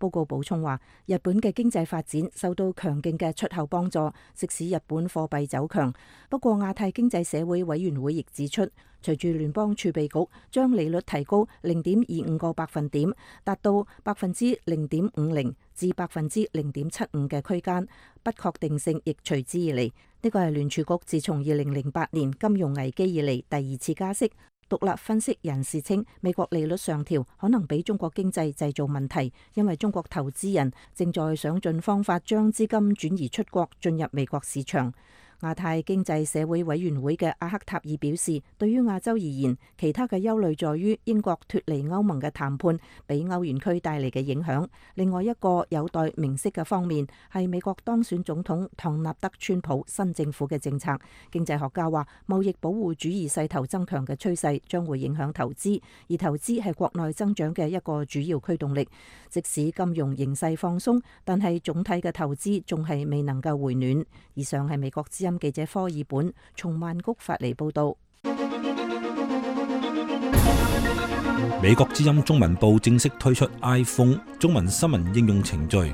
報告補充話，日本嘅經濟發展受到強勁嘅出口幫助，即使日本貨幣走強。不過亞太經濟社會委員會亦指出，隨住聯邦儲備局將利率提高0.25個百分點，達到0.50%至0.75%嘅區間，不確定性亦隨之而嚟。呢個係聯儲局自從2008年金融危機以嚟第二次加息。獨立分析人士稱，美國利率上調可能俾中國經濟製造問題，因為中國投資人正在想盡方法將資金轉移出國，進入美國市場。亞太經濟社會委員會嘅阿克塔爾表示，對於亞洲而言，其他嘅憂慮在於英國脫離歐盟嘅談判俾歐元區帶嚟嘅影響。另外一個有待明晰嘅方面係美國當選總統唐納德川普新政府嘅政策。經濟學家話，貿易保護主義勢頭增強嘅趨勢將會影響投資，而投資係國內增長嘅一個主要驅動力。即使金融形勢放鬆，但係總體嘅投資仲係未能夠回暖。以上係美國之音記者科爾本從曼谷發嚟報道。美國之音中文部正式推出 iPhone 中文新聞應用程序。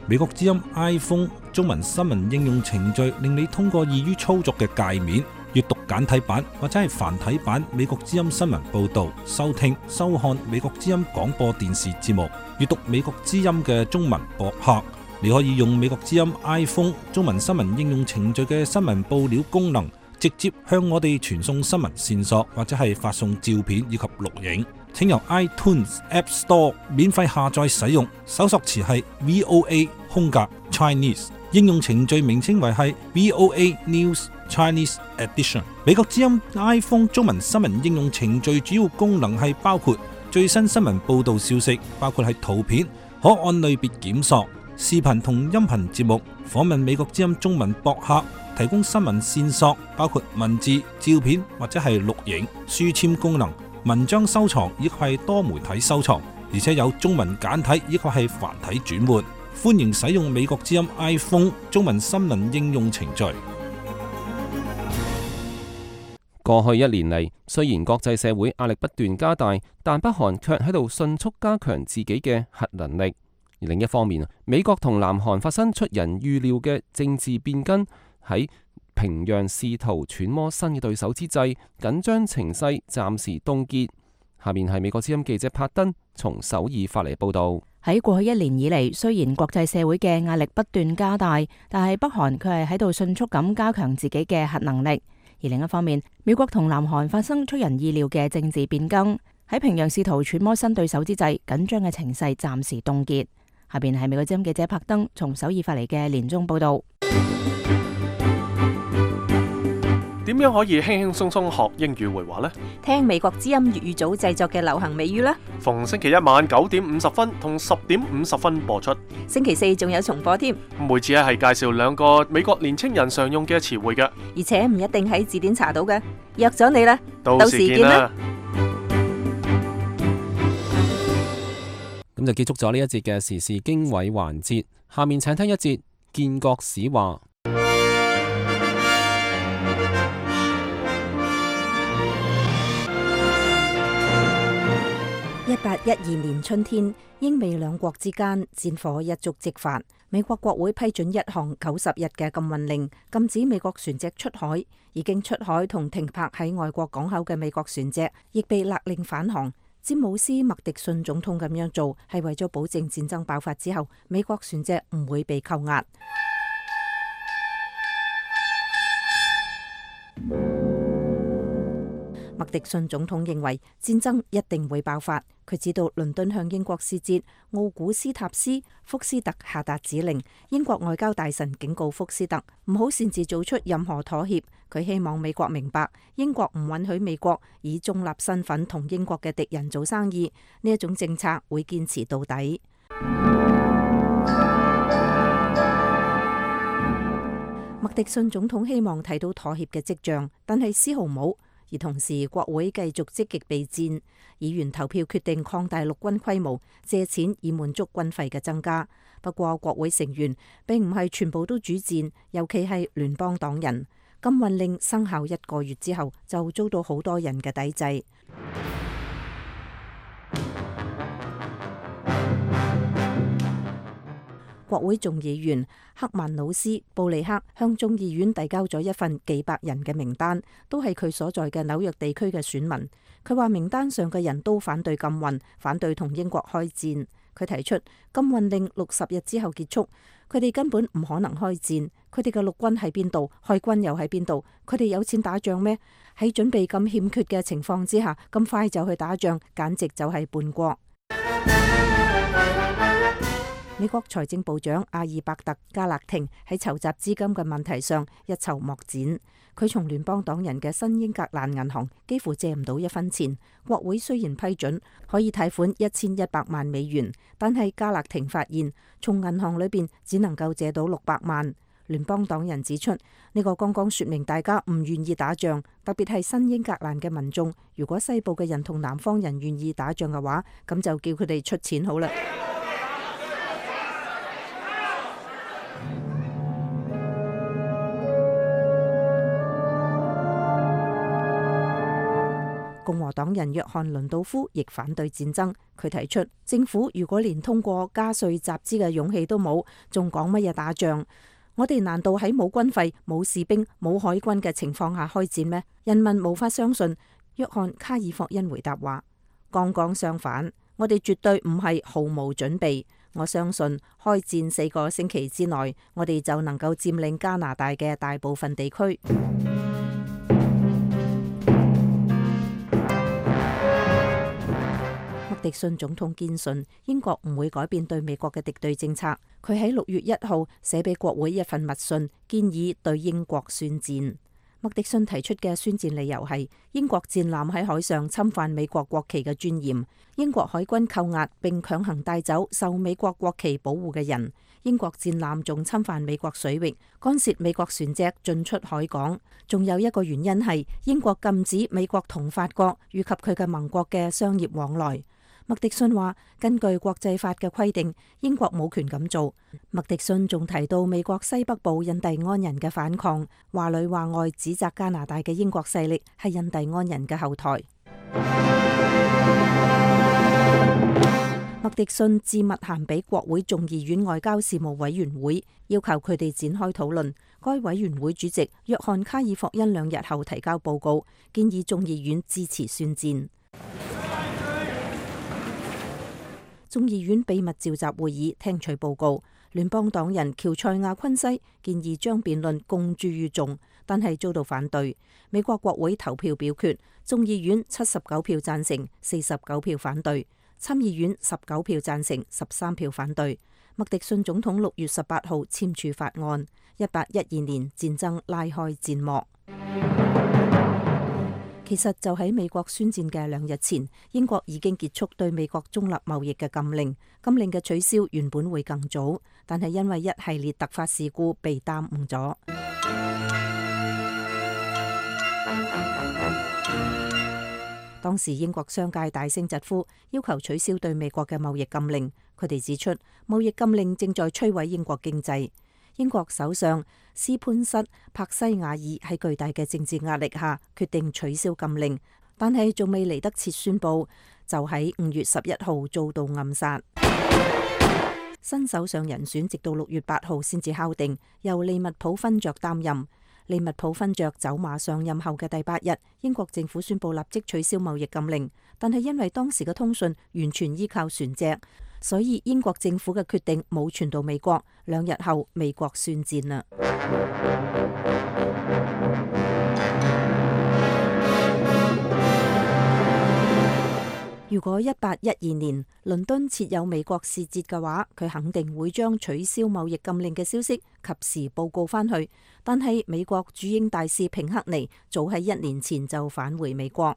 美國之音 iPhone 中文新聞應用程序令你通過易於操作嘅界面閱讀簡體版或者係繁體版美國之音新聞報道，收聽收看美國之音廣播電視節目，閱讀美國之音嘅中文博客。你可以用美國之音 iPhone 中文新聞應用程序嘅新聞報料功能，直接向我哋傳送新聞線索，或者係發送照片以及錄影。請由 iTunes App Store 免費下載使用，搜索詞係 VOA:Chinese， 應用程序名稱為係 VOA News Chinese Edition。美國之音 iPhone 中文新聞應用程序主要功能係包括最新新聞報道消息，包括係圖片，可按類別檢索。視頻同音頻節目，訪問美國之音中文博客，提供新聞線索，包括文字、照片或者係錄影，書籤功能、文章收藏以及係多媒體收藏，而且有中文簡體以及係繁體轉換。歡迎使用美國之音 iPhone 中文新聞應用程序。過去1年嚟，雖然國際社會壓力不斷加大，但北韓卻喺度迅速加強自己嘅核能力。而另一方面，美國同南韓發生出人預料嘅政治變更，喺平壤試圖揣摩新嘅對手之際，緊張情勢暫時凍結。下面係美國之音記者柏登從首爾發嚟報道。喺過去1年以嚟，雖然國際社會嘅壓力不斷加大，但係北韓佢係喺度迅速咁加強自己嘅核能力。而另一方面，美國同南韓發生出人意料嘅政治變更，喺平壤試圖揣摩新對手之際，緊張嘅情勢暫時凍結。下邊係美國之音記者柏登從首爾發嚟嘅年終報道。點樣可以輕輕鬆鬆學英語會話呢？聽美國之音粵語組製作嘅流行美語啦。逢星期一晚9點50分同10點50分播出。星期四仲有重播添。每次係介紹2個美國年青人常用嘅詞彙嘅，而且唔一定喺字典查到嘅。約咗你啦，到時見啦。咁就結束咗呢一節嘅時事經緯環節，下面請聽一節建國史話。1812年春天，英美兩國之間戰火一觸即發。美國國會批准一項90日嘅禁運令，禁止美國船隻出海。已經出海同停泊喺外國港口嘅美國船隻，亦被勒令返航。詹姆斯麥迪遜總統咁樣做，係為咗保證戰爭爆發之後，美國船隻唔會被扣押。麥迪遜總統認為戰爭一定會爆發。佢知道倫敦向英國使節奧古斯塔斯福斯特下達指令，英國外交大臣警告福斯特唔好擅自做出任何妥協。佢希望美國明白，英國唔允許美國以中立身份同英國嘅敵人做生意，呢一種政策會堅持到底。麥迪遜總統希望睇到妥協嘅跡象，但係絲毫冇。而同時，國會繼續積極備戰，議員投票決定擴大陸軍規模，借錢以滿足軍費嘅增加。不過，國會成員並唔係全部都主戰，尤其係聯邦黨人。禁運令生效1個月之後，就遭到好多人嘅抵制。國會眾議員克曼努斯布利克向眾議院遞交咗一份幾百人嘅名單，都係佢所在嘅紐約地區嘅選民。佢話名單上嘅人都反對禁運，反對同英國開戰。佢提出禁運令60日之後結束，佢哋根本唔可能開戰。佢哋嘅陸軍喺邊度？海軍又喺邊度？佢哋有錢打仗咩？喺準備咁欠缺嘅情況之下，咁快就去打仗，簡直就係叛國。美國財政部長阿爾伯特加勒廷喺籌集資金嘅問題上一籌莫展。佢從聯邦黨人嘅新英格蘭銀行幾乎借唔到一分錢。國會雖然批准可以貸款1100萬美元，但係加勒廷發現從銀行裏邊只能夠借到600萬。聯邦黨人指出，呢個剛剛說明大家唔願意打仗，特別係新英格蘭嘅民眾。如果西部嘅人同南方人願意打仗嘅話，咁就叫佢哋出錢好啦。共和黨人約翰倫道夫亦反對戰爭，佢提出政府如果連通過加稅集資嘅勇氣都冇，仲講乜嘢打仗？我哋難道喺冇軍費、冇士兵、冇海軍嘅情況下開戰咩？人民無法相信。約翰卡爾霍恩回答話：剛剛相反，我哋絕對唔係毫無準備。我相信開戰4個星期之內，我哋就能夠佔領加拿大嘅大部分地區。麥迪遜總統堅信英國唔會改變對美國嘅敵對政策。佢喺6月1號寫俾國會一份密信，建議對英國宣戰。麥迪遜提出嘅宣戰理由係英國戰艦喺海上侵犯美國國旗嘅尊嚴，英國海軍扣押並強行帶走受美國國旗保護嘅人，英國戰艦仲侵犯美國水域，干涉美國船隻進出海港。仲有一個原因係英國禁止美國同法國以及佢嘅盟國嘅商業往來。麥迪遜話：根據國際法嘅規定，英國冇權咁做。麥迪遜仲提到美國西北部印第安人嘅反抗，話裏話外指責加拿大嘅英國勢力係印第安人嘅後台。麥迪遜致密函俾國會眾議院外交事務委員會，要求佢哋展開討論。該委員會主席約翰卡爾霍恩2日後提交報告，建議眾議院支持宣戰。眾議院秘密召集會議聽取報告，聯邦黨人喬塞亞昆西建議將辯論公諸於眾，但係遭到反對。美國國會投票表決，眾議院79票贊成，49票反對；參議院19票贊成，13票反對。麥迪遜總統6月18號簽署法案，1812年戰爭拉開戰幕。其實就喺美國宣戰嘅2日前，英國已經結束對美國中立貿易嘅禁令。禁令嘅取消原本會更早，但係因為一系列突發事故被耽誤咗。當時英國商界大聲疾呼，要求取消對美國嘅貿易禁令。佢哋指出，貿易禁令正在摧毀英國經濟。英國首相斯潘塞柏西瓦爾喺巨大嘅政治壓力下決定取消禁令，但係仲未嚟得切宣佈，就喺5月11號遭到暗殺。新首相人選直到6月8號先至敲定，由利物浦勳爵擔任。利物浦勳爵走馬上任後嘅第8日，英國政府宣佈立即取消貿易禁令，但係因為當時嘅通訊完全依靠船隻，所以英國政府嘅決定冇傳到美國。2日後，美國宣戰啦。如果1812年倫敦設有美國使節嘅話，佢肯定會將取消貿易禁令嘅消息及時報告返去。但係美國駐英大使平克尼早喺1年前就返回美國。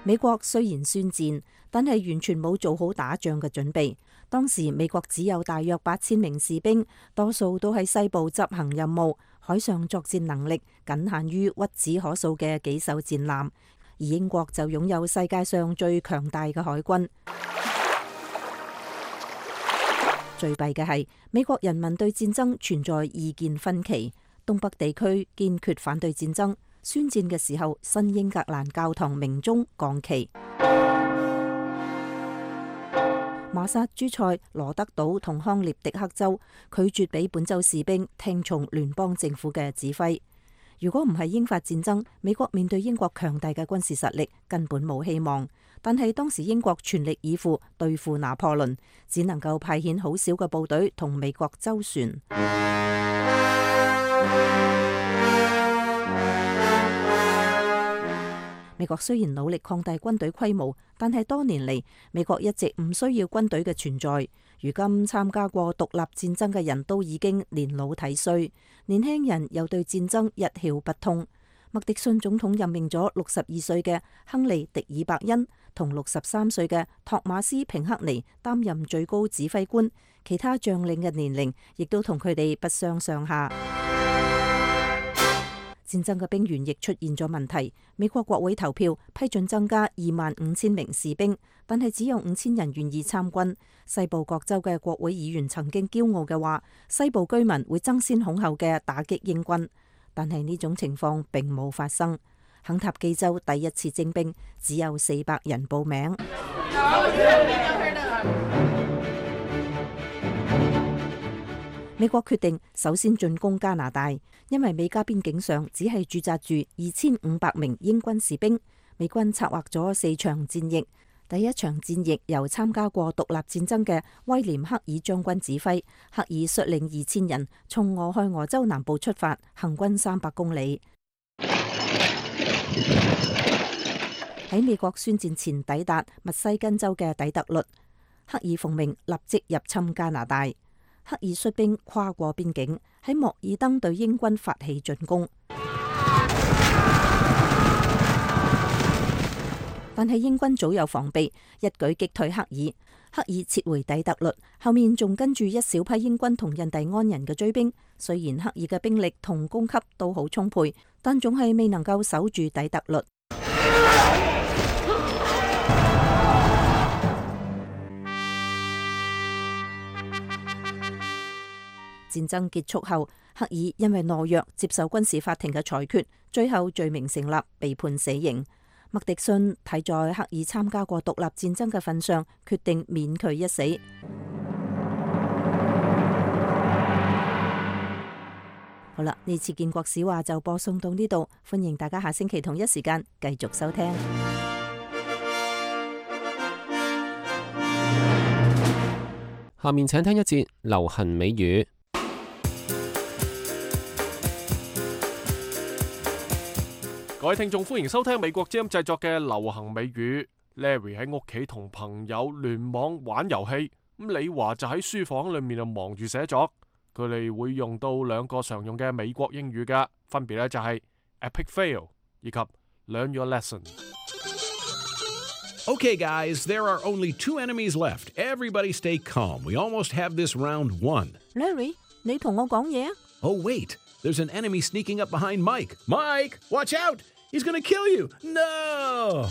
美國雖然宣戰，但係完全冇做好打仗嘅準備。當時美國只有大約8000名士兵，多數都喺西部執行任務，海上作戰能力僅限於屈指可數嘅幾艘戰艦，而英國就擁有世界上最強大嘅海軍。最弊嘅係美國人民對戰爭存在意見分歧，東北地區堅決反對戰爭。宣戰嘅時候，新英格蘭教堂鳴鐘降旗。馬薩諸塞、羅德島同康涅狄克州拒絕俾本州士兵聽從聯邦政府嘅指揮。如果唔係英法戰爭，美國面對英國強大嘅軍事實力根本冇希望。但係當時英國全力以赴對付拿破崙，只能夠派遣好少嘅部隊同美國周旋。美國雖然努力擴大軍隊規模，但係多年嚟美國一直唔需要軍隊嘅存在。如今參加過獨立戰爭嘅人都已經年老體衰，年輕人又對戰爭一竅不通。麥迪遜總統任命咗62歲嘅亨利·迪爾伯恩同63歲嘅托馬斯·平克尼擔任最高指揮官，其他將領嘅年齡亦都同佢哋不相上下。戰爭嘅兵員亦出現咗問題。美國國會投票批准增加25,000名士兵，但係只有5,000人願意參軍。西部各州嘅國會議員曾經驕傲嘅話，西部居民會爭先恐後嘅打擊英軍，但係呢種情況並冇發生。肯塔基州第一次徵兵只有400人報名。美國決定首先進攻加拿大，因為美加邊境上只係駐紮住2500名英軍士兵。美軍策劃咗4場戰役，第一場戰役由參加過獨立戰爭嘅威廉·克爾將軍指揮，克爾率領2000人從俄亥俄州南部出發，行軍300公里。喺美國宣戰前抵達密西根州嘅底特律，克爾奉命立即入侵加拿大。克爾率兵跨過邊境，喺莫爾登對英軍發起進攻，但係英軍早有防備，一舉擊退克爾。克爾撤回底特律，後面仲跟住一小批英軍同印第安人嘅追兵。雖然克爾嘅兵力同供給都好充沛，但總係未能夠守住底特律。戰爭結束後，克爾因為懦弱接受軍事法庭嘅裁決，最後罪名成立，被判死刑。麥迪遜睇在克爾參加過獨立戰爭嘅份上，決定免佢一死。好啦，呢次建國史話就播送到呢度，歡迎大家下星期同一時間繼續收聽。下面請聽一節流行美語。各位聽眾，歡迎收聽美國之音製作嘅流行美語。Larry 喺屋企同朋友聯網玩遊戲，咁李華就喺書房裏面就忙住寫作。佢哋會用到2個常用嘅美國英語㗎，分別咧就係 epic fail 以及 learn your lesson。 Okay, guys, there are only 2 enemies left. Everybody stay calm. We almost have this round won. Larry， 你同我講嘢啊？ Oh, wait. There's an enemy sneaking up behind Mike. Mike, watch out! He's gonna kill you! No!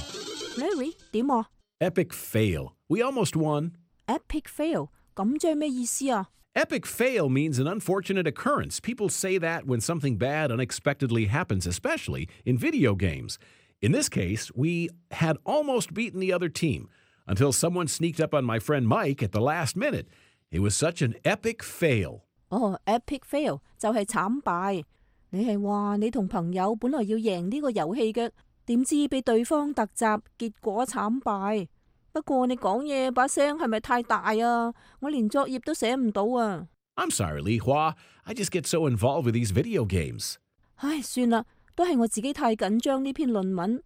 Larry， 點啊？ Epic fail. We almost won. Epic fail， 咁即係咩意思啊？ Epic fail means an unfortunate occurrence. People say that when something bad unexpectedly happens, especially in video games. In this case, we had almost beaten the other team until someone sneaked up on my friend Mike at the last minute. It was such an epic fail. 哦 ，epic fail 就係慘敗。你係話你同朋友本來要贏呢個遊戲嘅，點知被對方突襲，結果慘敗。不過你講嘢把聲係咪太大啊？我連作業都寫唔到啊。I'm sorry, Li Hua. I just get so involved with these video games. 唉，算啦，都係我自己太緊張呢篇論文。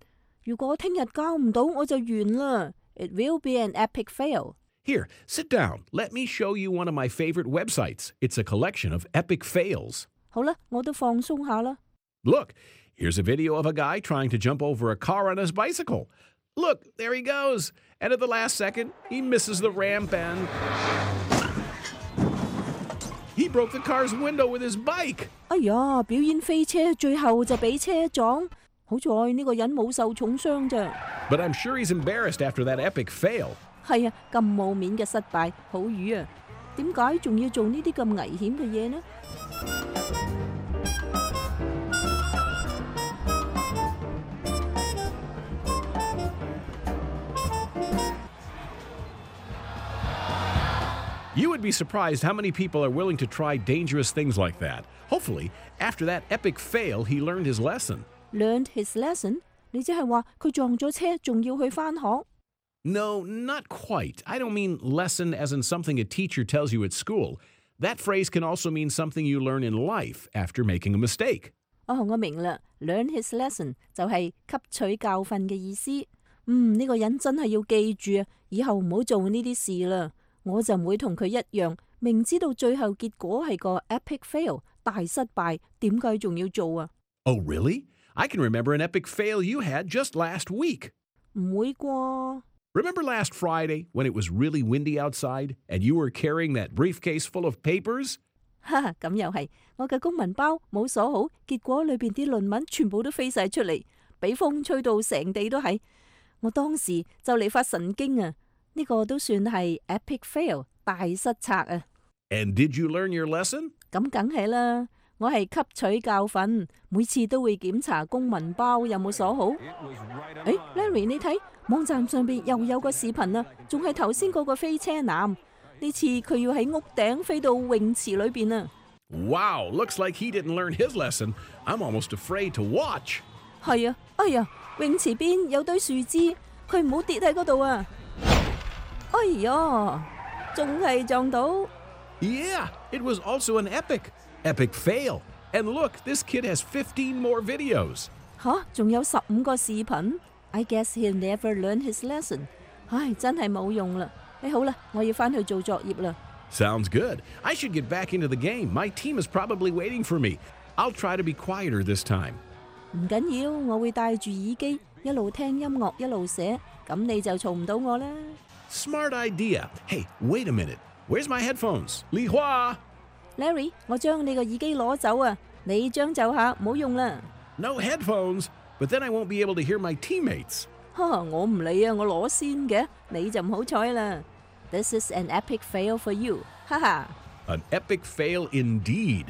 如果聽日交唔到，我就完啦。It will be an epic fail. Here, sit down. Let me show you one of my favorite websites. It's a collection of epic fails. 好啦，我都放鬆下啦。Look, here's a video of a guy trying to jump over a car on his bicycle. Look, there he goes. And at the last second, he misses the ramp and he broke the car's window with his bike. 哎呀，表演飛車，最後就俾車撞。好在呢個人冇受重傷咋。But I'm sure he's embarrassed after that epic fail. 係啊，咁冇面嘅失敗，好瘀啊！點解仲要做呢啲咁危險嘅嘢呢？ You would be surprised how many people are willing to try dangerous things like that. Hopefully, after that epic fail, he learned his lesson. Learned his lesson? 你即係話佢撞咗車，仲要去返學？ No, not quite. I don't mean lesson as in something a teacher tells you at school. That phrase can also mean something you learn in life after making a mistake. 我明啦 ，learn his lesson 就係吸取教訓嘅意思。呢個人真係要記住啊，以後唔好做呢啲事啦。我就唔會同佢一樣，明知道最後結果係個 epic fail 大失敗，點解仲要做啊？ Oh, really? I can remember an epic fail you had just last week. 唔會啩？ Remember last Friday when it was really windy outside and you were carrying that briefcase full of papers? 咁又係，我嘅公文包冇鎖好，結果裏邊啲論文全部都飛晒出嚟，俾風吹到成地都係。我當時就嚟發神經啊！呢個都算係 epic fail 大失策啊！ And did you learn your lesson? 咁梗係啦，我係吸取教訓，每次都會檢查公文包有冇鎖好。Larry 你睇網站上邊又有個視頻啊，仲係頭先嗰個飛車男，呢次佢要喺屋頂飛到泳池裏邊啊！ Wow, looks like he didn't learn his lesson. I'm almost afraid to watch. 係啊，哎呀，泳池邊有堆樹枝，佢唔好跌喺嗰度啊！哎呀，仲係撞到。Yeah, it was also an epic fail. And look, this kid has 15 more videos. 仲有15個視頻。I guess he'll never learn his lesson. 唉，真係冇用啦。好啦，我要返去做作業啦。Sounds good. I should get back into the game. My team is probably waiting for me. I'll try to be quieter this time. 唔緊要，我會戴住耳機，一路聽音樂一路寫，咁你就嘈唔到我啦。Smart idea. Hey, wait a minute. Where's my headphones? 李華 Larry, 我將你個耳機攞走啊！你將就下，唔好用啦。No headphones, but then I won't be able to hear my teammates. 我唔理啊，我攞先嘅，你就唔好彩啦。This is an epic fail for you. 哈哈。An epic fail indeed.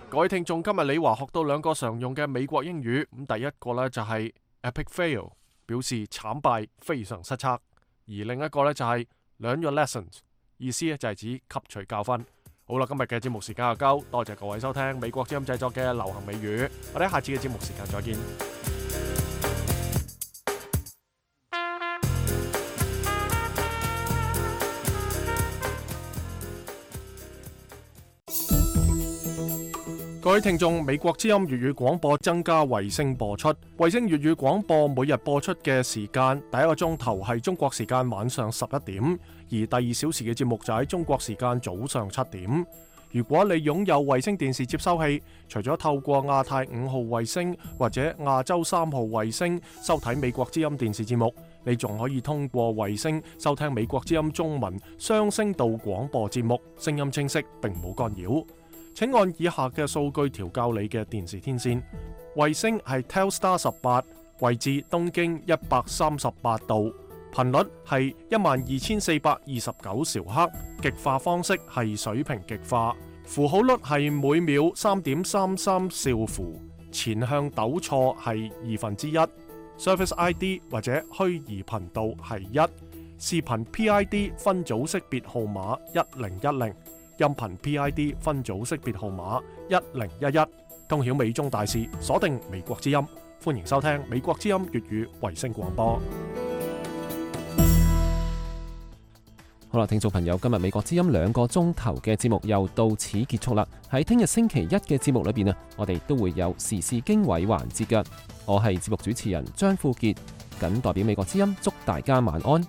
各位聽眾，今日李華學到兩個常用嘅美國英語，咁第一個呢就係 epic fail， 表示慘敗、非常失策；而另一個呢就係 learn your lessons， 意思呢就係指吸取教訓。好啦，今日嘅節目時間就夠，多謝各位收聽美國之音製作嘅流行美語，我哋下次嘅節目時間再見。各位聽眾，美國之音粵語廣播增加衛星播出。衛星粵語廣播每日播出嘅時間，第一個鐘頭係中國時間晚上11點，而第2小時嘅節目就喺中國時間早上7點。如果你擁有衛星電視接收器，除咗透過亞太5號衛星或者亞洲3號衛星收睇美國之音電視節目，你仲可以通過衛星收聽美國之音中文雙聲道廣播節目，聲音清晰並冇干擾。請按以下嘅數據調校你嘅電視天線。衛星係 Telstar 18，位置東經138度，頻率係12429兆赫，極化方式係水平極化，符號率係每秒 3.33 兆符，前向抖錯係1/2，Service ID 或者虛擬頻道係1，視頻 PID 分組識別號碼1010。音頻 PID 分組識別號碼1011，通曉美中大事，鎖定美國之音，歡迎收聽美國之音粵語衛星廣播。好啦，聽眾朋友，今日美國之音2個鐘頭嘅節目又到此結束啦。喺聽日星期一嘅節目裏邊啊，我哋都會有時事經緯環節嘅。我係節目主持人張富傑，謹代表美國之音祝大家晚安。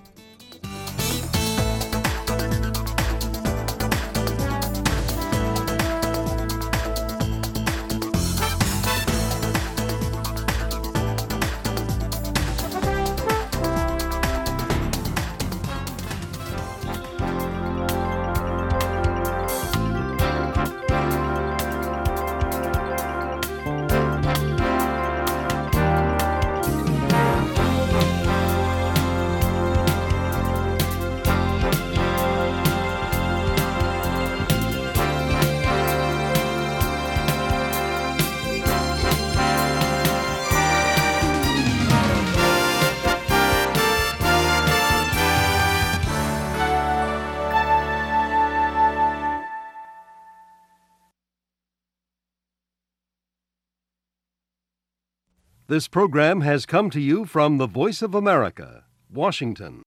This program has come to you from the Voice of America, Washington.